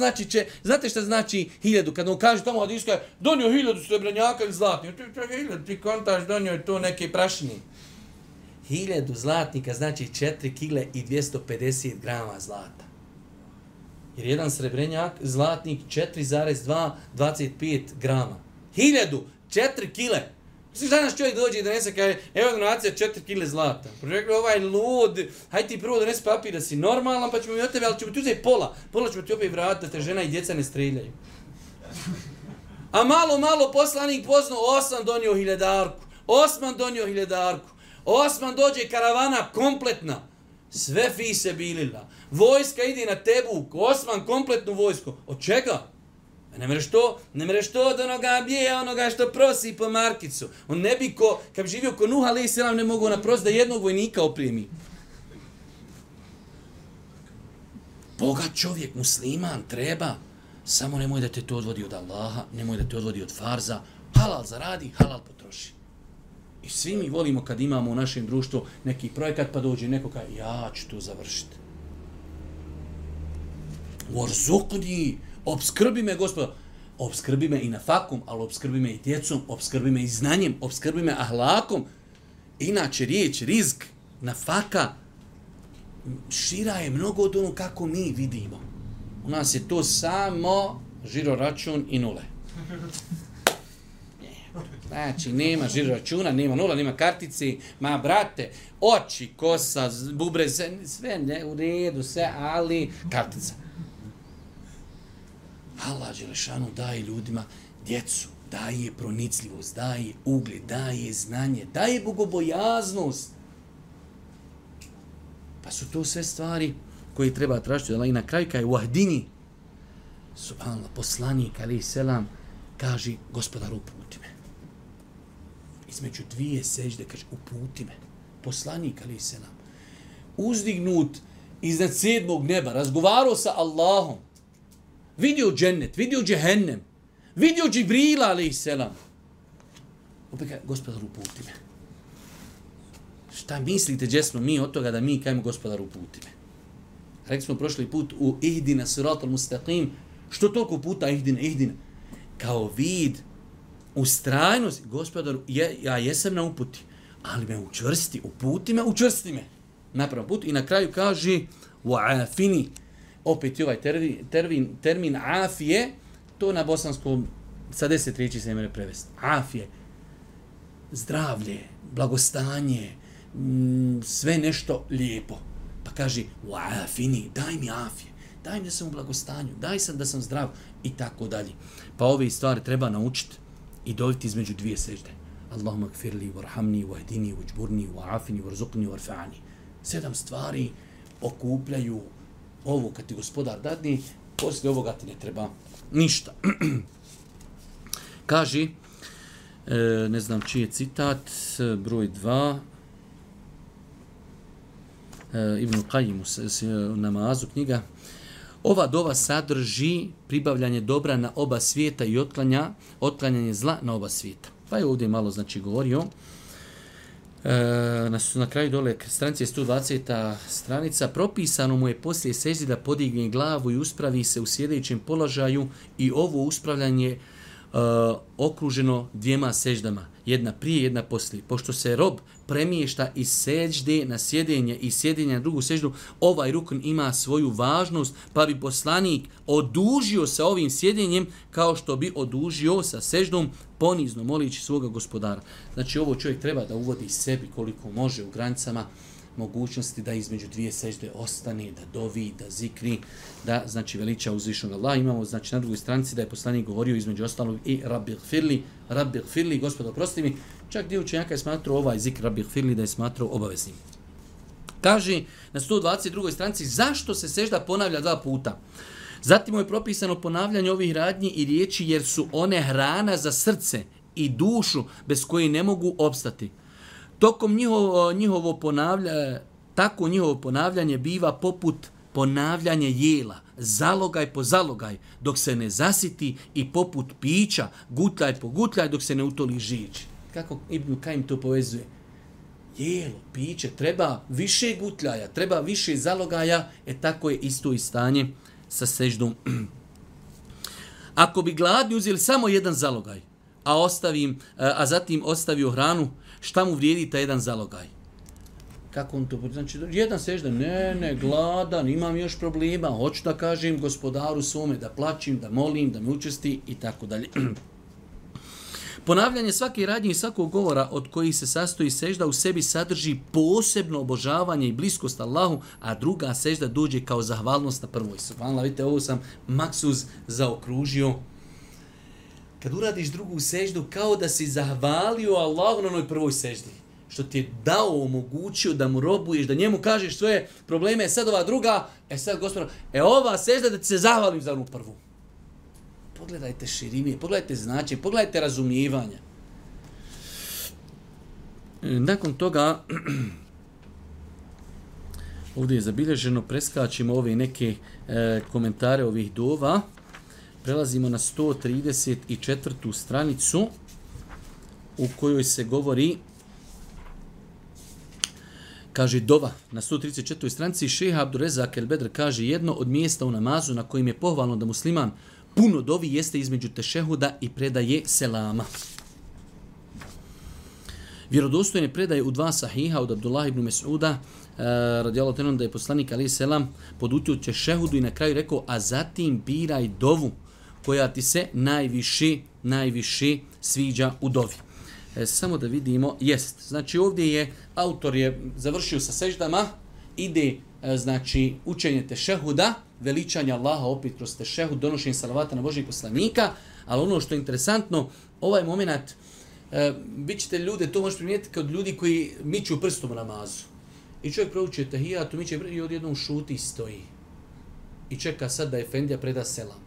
znači 1000? Kad on kaže tamo hadiska, donio 1000 srebrenjaka ili zlatnika. Ti kontaš, donio je to neke prašine. 1000 zlatnika znači 4 kile i 250 grama zlata. Jer jedan srebrenjak, zlatnik, 4,25 grama. 1000, 4 kile. Sviš danas čovjek dođe i donese, kaže, evo donacija 4 kile zlata. Rekli, ovaj lud, hajde ti prvo donesi papir da si normalan, pa ćemo mi od tebe, ali ćemo ti uzeti pola. Pola ćemo ti opet vratiti da te žena i djeca ne streljaju. A malo poslanik poznao, Osman donio 1000. Osman dođe karavana kompletna. Sve fi se bilila. Vojska ide na Tebuk, Osman kompletnu vojsku. Od čega? Ne mereš to od onoga bija, onoga što prosi po markicu. On ne bi kad bi živio ko Nuh alejhi selam ne mogu naprosto da jednog vojnika opremi. Bogat čovjek, musliman, treba. Samo nemoj da te to odvodi od Allaha, nemoj da te odvodi od farza. Halal zaradi, halal potroši. I svi mi volimo kad imamo u našem društvu neki projekat pa dođe neko kaže ja ću to završiti. Warzuqni, obskrbi me Gospod. Obskrbi me i na fakom, ali obskrbi me i djecom, obskrbi me i znanjem, obskrbi me ahlakom. Inače riječ, rizk, nafaka, šira je mnogo od ono kako mi vidimo. U nas je to samo žiro račun i nule. Znači, nema žiro računa, nema nula, nema kartice, ma brate, oči, kosa, bubre, sve ne, u redu, sve, ali kartica. Allah Đelešanu daje ljudima djecu, daje pronicljivost, daje ugled, daje znanje, daje bogobojaznost. Pa su to sve stvari koje treba tražiti. I na kraju kaj wahdini, subhanallah, poslanik, alejhi selam, kaže, Gospodaru, uputi me. između dvije sežde, kaže, uputi me. Poslanik, ali se nam, uzdignut iznad 7. neba, razgovarao sa Allahom, vidio džennet, vidio džehennem, vidio Džibrila, ali se nam. Opet kaže, gospodar, uputi me. Šta mislite, gdje smo mi od toga da mi kajemo, gospodar, uputi me? Rekli smo prošli put u ihdina siratal mustaqim, što toliko puta ihdina? Kao vid, ustrajnost, gospodaru, ja jesam na uputi, ali me učvrsti, uputi me, učvrsti me. Napravom put i na kraju kaže wa'afini, opet je ovaj termin afije, to na bosanskom sa 10 riječi se može prevesti. Afije, zdravlje, blagostanje, sve nešto lijepo. Pa kaže wa'afini, daj mi afije, daj mi da sam u blagostanju, daj sam da sam zdrav i tako dalje. Pa ove stvari treba naučiti i doviti između dvije sežde. Allahumma gfirli, warhamni, wahdini, wajburni, wa'afini, warzuqni, warfa'ani. 7 stvari okupljaju ovo kad ti gospodar dadni, poslije ovoga ti ne treba ništa. Kaže, ne znam čiji je citat, broj 2, Ibn Qayyim u namazu knjiga, ova dova sadrži pribavljanje dobra na oba svijeta i otklanjanje zla na oba svijeta. Pa je ovdje malo znači govorio. Na kraju dole stranice 120. stranica, propisano mu je poslije seždi da podigne glavu i uspravi se u sjedećem položaju i ovo uspravljanje okruženo 2 seždama, jedna prije, jedna poslije. Pošto se rob premješta iz sežde na sjedenje i sjedenja na drugu seždu, ovaj rukn ima svoju važnost, pa bi poslanik odužio sa ovim sjedenjem kao što bi odužio sa seždom, ponizno molići svoga gospodara. Znači ovo čovjek treba da uvodi sebi koliko može u granicama mogućnosti da između 2 sežde ostane, da dovi, da zikri, da znači veliča uzvišenog Allaha. Imamo znači na drugoj stranici da je poslanik govorio između ostalog i Rabbi gfirli, Gospodo oprosti mi. Čak dio učenjaka je smatrao ovaj zikr Rabbi gfirli da je smatrao obaveznim. Kaže na 122. stranici zašto se sežda ponavlja 2 puta. Zatim mu je propisano ponavljanje ovih radnji i riječi jer su one hrana za srce i dušu bez koje ne mogu opstati. Tokom njihovo ponavljanje biva poput ponavljanje jela, zalogaj po zalogaj, dok se ne zasiti i poput pića, gutljaj po gutljaj, dok se ne utoli žič. Kako Ibn Qayyim to povezuje? Jelo, piće, treba više gutljaja, treba više zalogaja, tako je isto i stanje sa seždom. Ako bi gladni uzeli samo jedan zalogaj, a zatim ostavio hranu, šta mu vrijedi taj jedan zalogaj? Kako on to? Znači, jedan sežda, ne, gladan, imam još problema, hoću da kažem gospodaru svome, da plačim, da molim, da me učesti i tako dalje. Ponavljanje svake radnje i svakog govora od kojih se sastoji sežda u sebi sadrži posebno obožavanje i bliskost Allahu, a druga sežda dođe kao zahvalnost na prvoj. Subhanallah, vidite, ovo sam maksuz zaokružio. Kad uradiš drugu seždu, kao da si zahvalio Allahu na onoj prvoj seždi. Što ti je dao, omogućio da mu robuješ, da njemu kažeš svoje probleme, sad ova druga, sad gospodar, ova sežda da ti se zahvalim za onu prvu. Pogledajte širine, pogledajte značenje, pogledajte razumijevanja. Nakon toga, ovdje je zabilježeno, preskačimo ove neke komentare ovih dova. Prelazimo na 134. stranicu u kojoj se govori, kaže dova, na 134. stranici Šejh Abdurezak el-Bedr kaže jedno od mjesta u namazu na kojim je pohvalno da musliman puno dovi jeste između tešehuda i predaje selama. Vjerodostojne predaje u 2 sahiha od Abdullah ibn Mes'uda radijallahu anhu da je poslanik alejhi selam podutio tešehudu i na kraju rekao a zatim biraj dovu koja ti se najviše sviđa u dovi. Samo da vidimo, znači ovdje je autor je završio sa seždama, ide znači učenje tešehuda, veličanje Allaha opet kroz tešehud, donošenje salavata na Božijeg poslanika, ali ono što je interesantno, ovaj moment, bit ćete ljude, to možete primijetiti kod ljudi koji miču prstom u namazu. I čovjek prouči tahijatu, miče i odjednom šuti i stoji. I čeka sad da Efendija preda selam.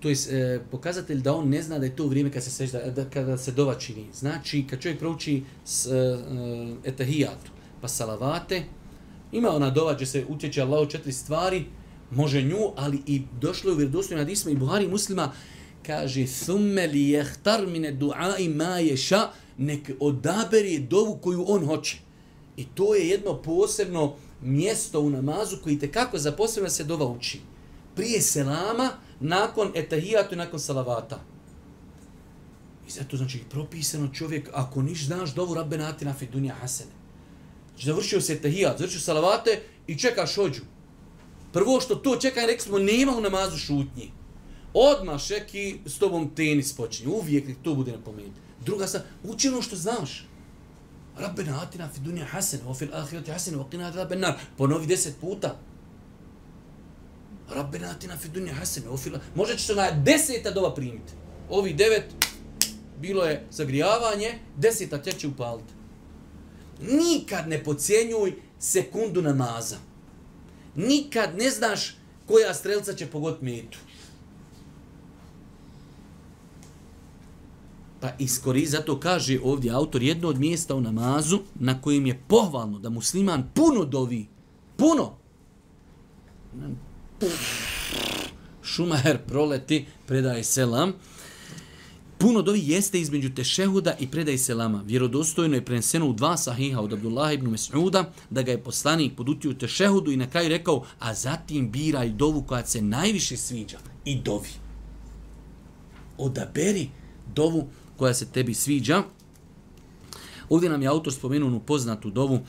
to je pokazatelj da on ne zna da je to vrijeme kada se dova čini. Znači, kad čovjek prouči etahijatu, pa salavate, ima ona dova gdje se utječe Allahu 4 stvari, može nju, ali i došlo je u vjerodostojnim hadisima i Buhari i Muslima, kaže, thumme li jehtar mine du'ai ma ješa, nek odaberi dovu koju on hoće. I to je jedno posebno mjesto u namazu koji tekako za posebno se dova uči. Prije selama, nakon etahijatu i nakon salavata. I zato znači propisano čovjek, ako niš znaš dovu Rabbena atina fid dunja hasene. Znači završio se etahijat, završio salavate i čekaš hođu. Prvo što to čekaj, rekli smo, nema u namazu šutnji. Odmah šeki s tobom tenis počinje. Uvijek nek to bude napomenuti. Druga stvar, uči ono što znaš. Rabbena atina fid dunja hasene, wa fil ahireti hasene, wa qina adhaben nar. Ponovi 10 puta. Rabbena atina fid dunja hasene, wa fil... Možda će se na 10. dova primiti. Ovi 9, bilo je zagrijavanje, 10. će upaliti. Nikad ne podcjenjuj sekundu namaza. Nikad ne znaš koja strelca će pogoditi metu. Pa zato kaže ovdje autor jedno od mjesta u namazu na kojem je pohvalno da musliman puno dovi. Puno. Šumaher proleti, predaje selam. Puno dovi jeste između tešehuda i predaje selama. Vjerodostojno je preneseno u 2 sahiha od Abdullah ibn Mes'uda da ga je poslanik podutio u tešehudu i na kraju rekao, a zatim biraj dovu koja se najviše sviđa i dovi. Odaberi dovu koja se tebi sviđa. Ovdje nam je autor spomenuo onu poznatu dovu,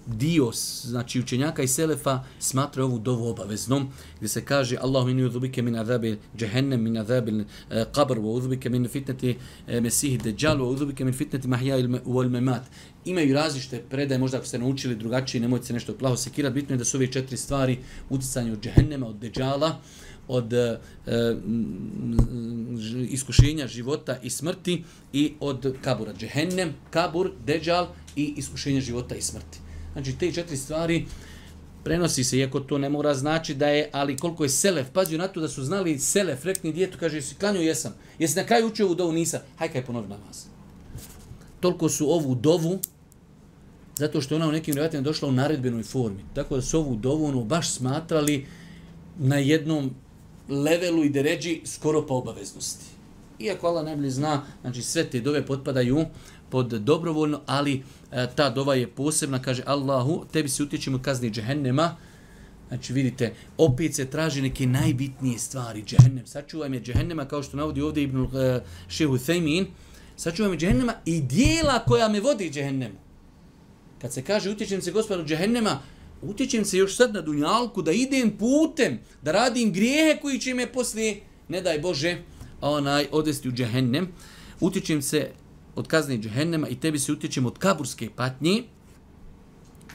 dio, znači učenjaka i selefa smatra ovu dovu obaveznom, gdje se kaže Allahu inni udhubike min azabi džehennem, min azabi qabr, wa udhubike min fitneti mesihi deđal, wa udhubike min fitneti mahja wal memat. Imaju različite predaje, možda ako ste naučili drugačije, nemojte se nešto plaho sekirati, bitno je da su ove 4 stvari uticanje od džehennema, od deđala, od iskušenja života i smrti i od kabura. Džehennem, kabur, deđal i iskušenja života i smrti. Znači, te 4 stvari prenosi se, iako to ne mora znači da je, ali koliko je selef, pazio na to da su znali selef, rekni djetu, kaže, jesi klanio, jesam. Jesi na kraju učio ovu dovu, nisam. Haj kaj ponovi namaz. Toliko su ovu dovu, zato što ona u nekim rivajatima došla u naredbenoj formi. Tako da su ovu dovu baš smatrali na jednom levelu i deređi skoro pa obaveznosti. Iako Allah najbolje zna, znači sve te dove potpadaju pod dobrovoljno, ali ta dova je posebna, kaže Allahu, tebi se utječemo od kazni džehennema. Znači vidite, opet se traži neke najbitnije stvari, džehennem. Sačuvaj me džehennema, kao što navodi ovdje Ibn Šehu Thejmin, sačuvaj me džehennema i dijela koja me vodi džehennemu. Kad se kaže utječem se gospodaru džehennema, utječem se još sad na dunjalku da idem putem, da radim grijehe koji će me poslije, ne daj Bože, odvesti u džehennem. Utječem se od kazne džehennema i tebi se utječem od kaburske patnje,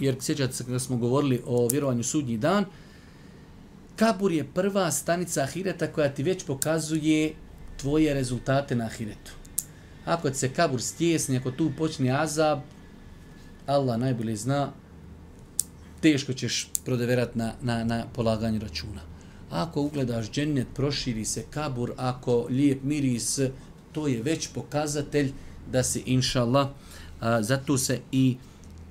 jer sjećate se kada smo govorili o vjerovanju sudnji dan, kabur je prva stanica ahireta koja ti već pokazuje tvoje rezultate na ahiretu. Ako se kabur stjesni, ako tu počne azab, Allah najbolje zna, teško ćeš prodeverati na polaganju računa. Ako ugledaš džennet, proširi se kabur, ako lijep miris, to je već pokazatelj da se, inša Allah, zato se i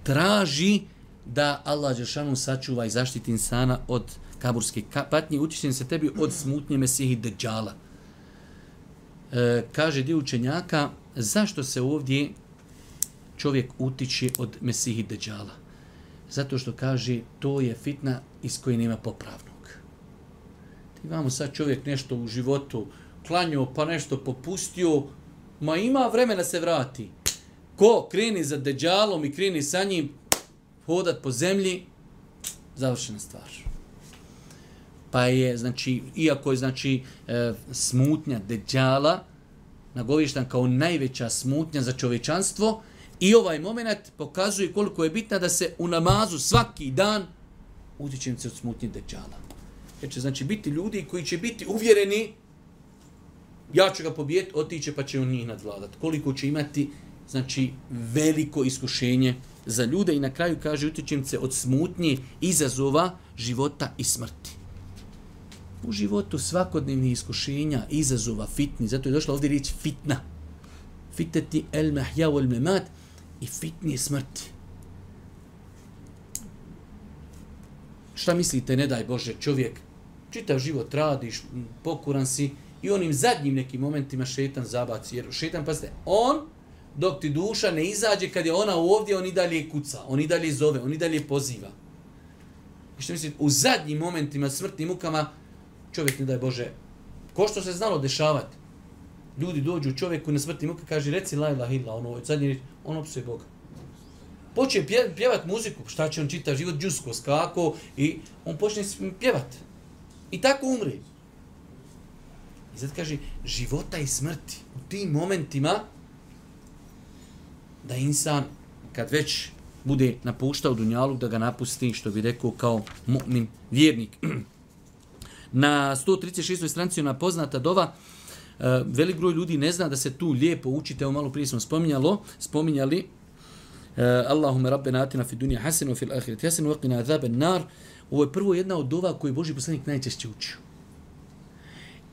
traži da Allah dželešanu sačuva i zaštiti insana od kaburske patnje, utječem se tebi od smutnje Mesihi Deđala. Kaže dio učenjaka, zašto se ovdje čovjek utiče od Mesihi Deđala? Zato što kaže, to je fitna iz koje nema popravnog. Ti imamo sad čovjek nešto u životu klanio, pa nešto popustio, ma ima vremena se vrati. Ko kreni za Deđalom i kreni sa njim hodat po zemlji, završena stvar. Pa je, znači, iako je, znači, smutnja Deđala nagovještan kao najveća smutnja za čovječanstvo, i ovaj moment pokazuje koliko je bitna da se u namazu svaki dan utječem se od smutnje Deđala. Jer će, znači, biti ljudi koji će biti uvjereni, ja ću ga pobijeti, otiće pa će on njih nadvladati. Koliko će imati, znači, veliko iskušenje za ljude i na kraju kaže utječem se od smutnje izazova života i smrti. U životu svakodnevnih iskušenja, izazova, fitni, zato je došla ovdje riječ fitna. Fiteti el mahja wal memat i fitni je smrti. Šta mislite, ne daj Bože, čovjek, čitav život radiš, pokuran si i onim zadnjim nekim momentima šetan zabaci. Jer šetan, pazite, on, dok ti duša ne izađe, kad je ona ovdje, on i dalje kuca, on i dalje zove, on i dalje poziva. I što mislite, u zadnjim momentima smrtnim mukama, čovjek, ne daj Bože, ko što se znalo dešavati, ljudi dođu čovjeku na smrtnim muka, kaže, reci la ilaha illa, ono, zadnji riječ, on opsuje Boga. Počne pjevat muziku, šta će on čitav život, džusko, skako, i on počne pjevat. I tako umri. I zato kaže, života i smrti, u tim momentima, da insan, kad već bude napuštao dunjaluk, da ga napusti, što bi rekao, kao mu'min vjernik. Na 136. stranici ona poznata dova, velik broj ljudi ne zna da se tu lijepo učite, evo malo prije smo spominjali, Allahume rabbena atina fi dunja hasenu wa fil ahireti hasenu wa qina azaben nar. Ovo je prvo jedna od dova koju je Božji poslanik najčešće učio.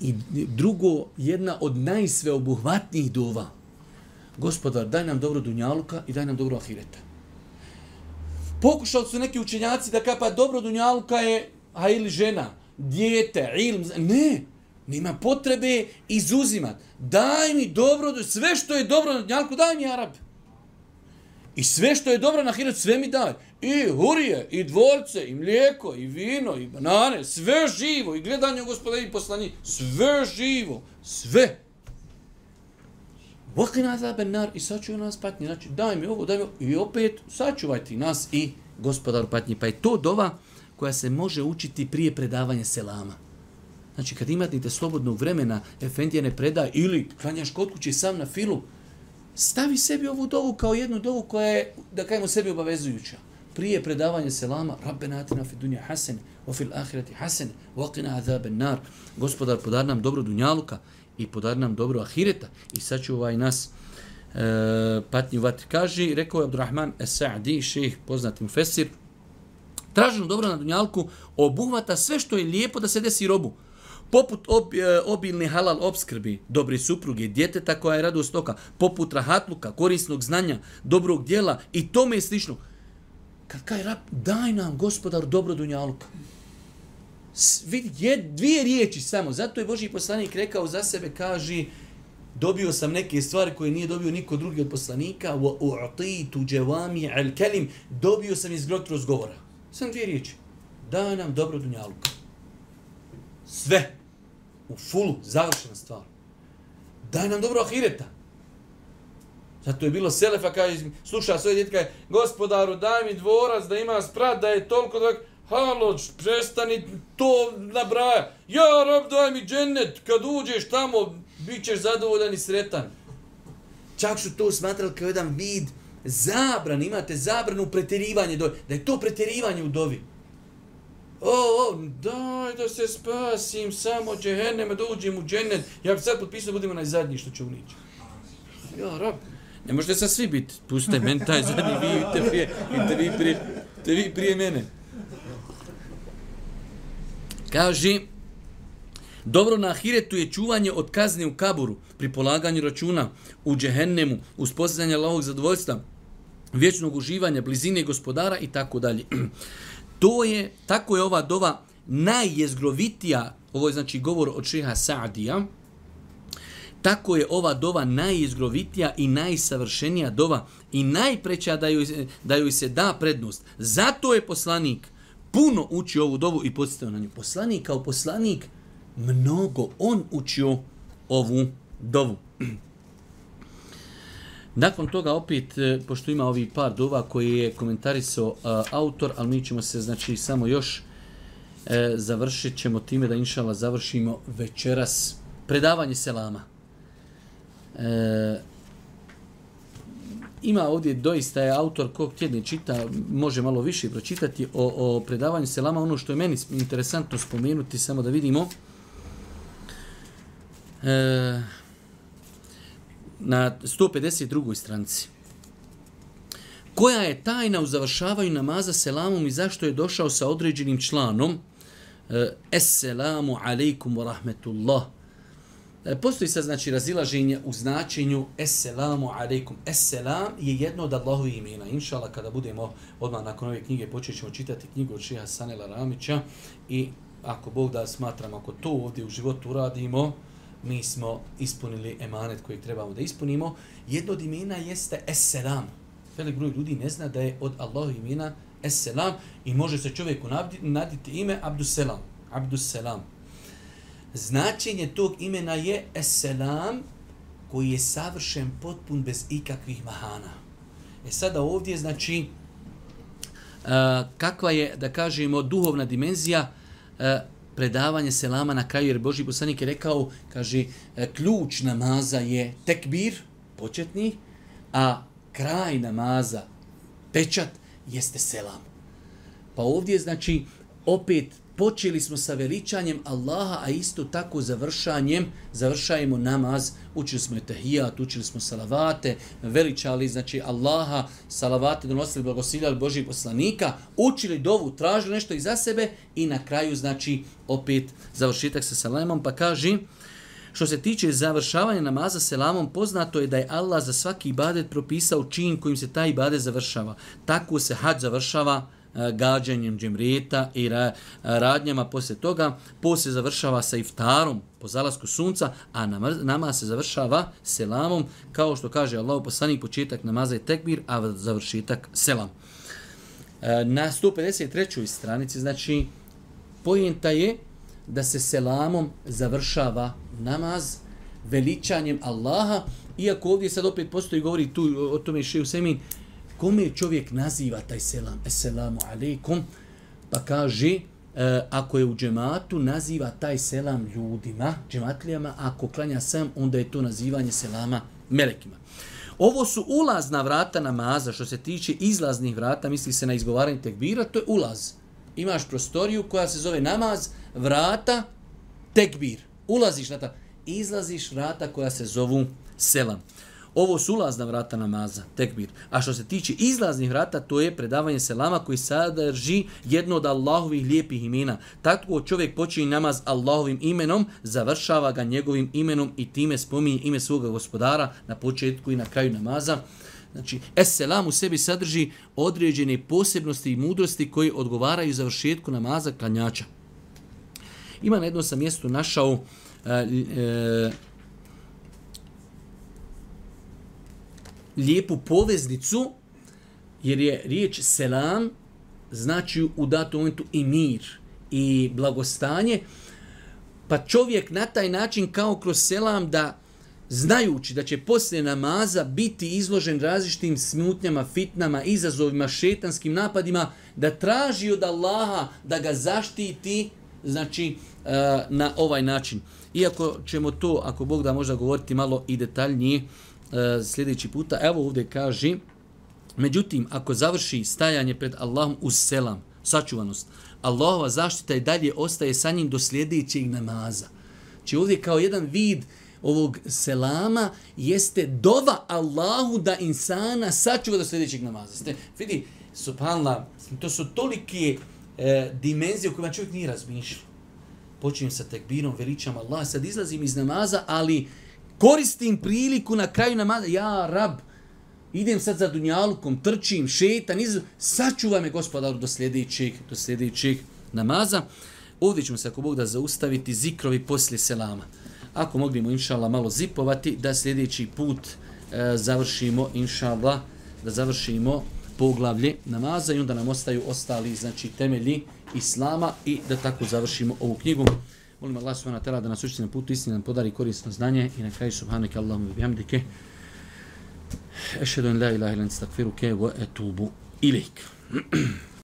I drugo, jedna od najsveobuhvatnijih dova. Gospodar, daj nam dobro dunjaluka i daj nam dobro ahireta. Pokušali su neki učenjaci da kapa dobro dunjaluka je ili žena, dijete, ilm. Ne, nema potrebe izuzimati. Daj mi dobro, sve što je dobro na dunjaluku, daj mi Arab. I sve što je dobro na ahiretu, sve mi daj. I hurije, i dvorce, i mlijeko, i vino, i banane, sve živo, i gledanje u Gospoda i poslani, sve živo, sve. Vaqina azaben nar, i sačuvaj nas patnji, znači daj mi ovo, i opet sačuvaj ti nas i Gospodaru patnji. Pa je to dova koja se može učiti prije predavanja selama. Znači kad imate slobodnog vremena, efendija ne predaj, ili klanjaš kod kuće sam na filu, stavi sebi ovu dovu kao jednu dovu koja je, da kajemo sebi obavezujuća. Prije predavanja selama, Rabbena atina fi dunja hasen, wa fil ahireti hasen, wa qina azaben nar. Gospodar, podar nam dobro dunjaluka i podar nam dobro ahireta i sačuvaj nas patnji u vatri. Kaže, rekao je Abdurrahman Es-Sa'di, šejh poznati mufesir, traženo dobro na dunjalku obuhvata sve što je lijepo da se desi robu. Poput obilne halal opskrbi, dobre supruge, djeteta koja je radost oka, poput rahatluka, korisnog znanja, dobrog djela i tome je slično. Kad kaj rab, daj nam Gospodar dobro dunjaluka. Vidi, dvije riječi samo, zato je Božji poslanik rekao za sebe, kaže, dobio sam neke stvari koje nije dobio niko drugi od poslanika, wa u'titu jawami al-kalim, dobio sam izgrot razgovora. Samo dvije riječi. Daj nam dobro dunjaluka. Sve. U fulu, završena stvar. Daj nam dobro ahireta. Zato je bilo selefa, kaže, sluša svoje djete, kaže, Gospodaru, daj mi dvorac da ima sprat, da je toliko da... Halo, prestani to nabraja. Ja, rab, daj mi džennet, kad uđeš tamo, bit ćeš zadovoljan i sretan. Čak su to smatrali kao jedan vid zabran, imate zabranu pretjerivanje dovi, da je to pretjerivanje u dovi. Daj da se spasim, samo džehenneme, da uđem u džennet. Ja bi sad potpisao, budemo najzadnji što će unići. Ja, rab, ne možete sad svi biti. Pustite meni taj zadnji, vi vi prije mene. Kaže, dobro na ahiretu je čuvanje od kazne u kaburu, pri polaganju računa u džehennemu, uz postizanje Allahovog zadovoljstva, vječnog uživanja, blizine gospodara i tako dalje. Tako je ova dova najjezgrovitija, ovo je znači govor od šeha Sa'dija, tako je ova dova najjezgrovitija i najsavršenija dova i najpreća da joj se da prednost. Zato je poslanik puno učio ovu dovu i podsjetio na nju. Poslanik kao poslanik, mnogo on učio ovu dovu. Nakon toga opet, pošto ima ovih par dova koje je komentarisao autor, ali mi ćemo se znači samo još završit ćemo time da inšallah završimo večeras predavanje selama. Ima ovdje doista je autor kog tjedne čita, može malo više pročitati o predavanju selama. Ono što je meni interesantno spomenuti, samo da vidimo. Na 152. stranici. Koja je tajna u završavanju namaza selamom i zašto je došao sa određenim članom Esselamu alaikum wa rahmetullah. Postoji sad znači razilaženje u značenju Esselamu alaikum. Esselam je jedno od Allahovih imena. Inšallah, kada budemo odmah nakon ove knjige počet ćemo čitati knjigu od šeha Sanela Ramića i ako Bog da smatramo, ako to ovdje u životu uradimo, mi smo ispunili emanet kojeg trebamo da ispunimo. Jedno od imena jeste Esselam. Velik broj ljudi ne zna da je od Allahovih imena Esselam i može se čovjeku naditi ime Abdusselam. Abdusselam. Značenje tog imena je Esselam koji je savršen, potpun, bez ikakvih mahana. Sada ovdje znači kakva je, da kažemo, duhovna dimenzija predavanje selama na kraju, jer Božji poslanik je rekao, kaže, ključ namaza je tekbir, početni, a kraj namaza, pečat, jeste selam. Pa ovdje, znači, opet počeli smo sa veličanjem Allaha, a isto tako završajemo namaz, učili smo etahijat, učili smo salavate, veličali, znači, Allaha, salavate, donosili, blagosiljali Božjih poslanika, učili dovu, tražili nešto iza sebe i na kraju, znači, opet završitak sa selamom, pa kaže, što se tiče završavanja namaza selamom, poznato je da je Allah za svaki ibadet propisao čin kojim se taj ibadet završava. Tako se hadž završava gađanjem džemreta i radnjama poslije toga. Poslije završava sa iftarom po zalasku sunca, a namaz se završava selamom, kao što kaže Allahu poslanik, početak namaza je tekbir, a završitak selam. Na 153. stranici, znači, pojenta je da se selamom završava namaz, veličanjem Allaha, iako ovdje sad opet postoji, govori tu o tome Šejh Usejmin, kome čovjek naziva taj selam, Esselamu alaikum, pa kaže, ako je u džematu, naziva taj selam ljudima, džematlijama, ako klanja sam, onda je to nazivanje selama melekima. Ovo su ulazna vrata namaza, što se tiče izlaznih vrata, misli se na izgovaranje tekbira, to je ulaz. Imaš prostoriju koja se zove namaz, vrata, tekbir. Ulaziš na ta, izlaziš vrata koja se zovu selam. Ovo su ulazna vrata namaza, tekbir. A što se tiče izlaznih vrata, to je predavanje selama koji sadrži jedno od Allahovih lijepih imena. Tako čovjek počinje namaz Allahovim imenom, završava ga njegovim imenom i time spominje ime svoga gospodara na početku i na kraju namaza. Znači, Esselam u sebi sadrži određene posebnosti i mudrosti koje odgovaraju završetku namaza klanjača. Ima na jednom sam mjestu našao lijepu poveznicu, jer je riječ selam znači u datom momentu i mir i blagostanje, pa čovjek na taj način kao kroz selam da znajući da će poslije namaza biti izložen različitim smutnjama, fitnama, izazovima, šetanskim napadima, da traži od Allaha da ga zaštiti, znači na ovaj način. Iako ćemo to, ako Bog da, možda govoriti malo i detaljnije sljedeći puta. Evo ovdje kaže, međutim, ako završi stajanje pred Allahom uz selam, sačuvanost, Allahova zaštita i dalje ostaje sa njim do sljedećeg namaza. Znači ovdje kao jedan vid ovog selama jeste dova Allahu da insana sačuva do sljedećeg namaza. Vidi, subhanallah, to su tolike dimenzije u kojima čovjek nije razmišljao. Počinjem sa tekbirom, veličam Allah, sad izlazim iz namaza, ali koristim priliku na kraju namaza, ja rab, idem sad za dunjalukom, trčim, šetan, sačuvaj me gospodaru do sljedećeg namaza. Ovdje ćemo se, ako Bog da, zaustaviti zikrovi poslije selama. Ako moglimo, inšallah, malo zipovati, da sljedeći put završimo, inšallah, da završimo poglavlje namaza i onda nam ostaju ostali, znači, temelji islama i da tako završimo ovu knjigu. Molim Allah subhanahu wa ta'ala da nas učiti na putu istine, nam podari korisno znanje i na kraju subhanaka Allahumma bihamdike. Ešhedu en la ilaha illa ente, estagfiruke wa etubu ilejk.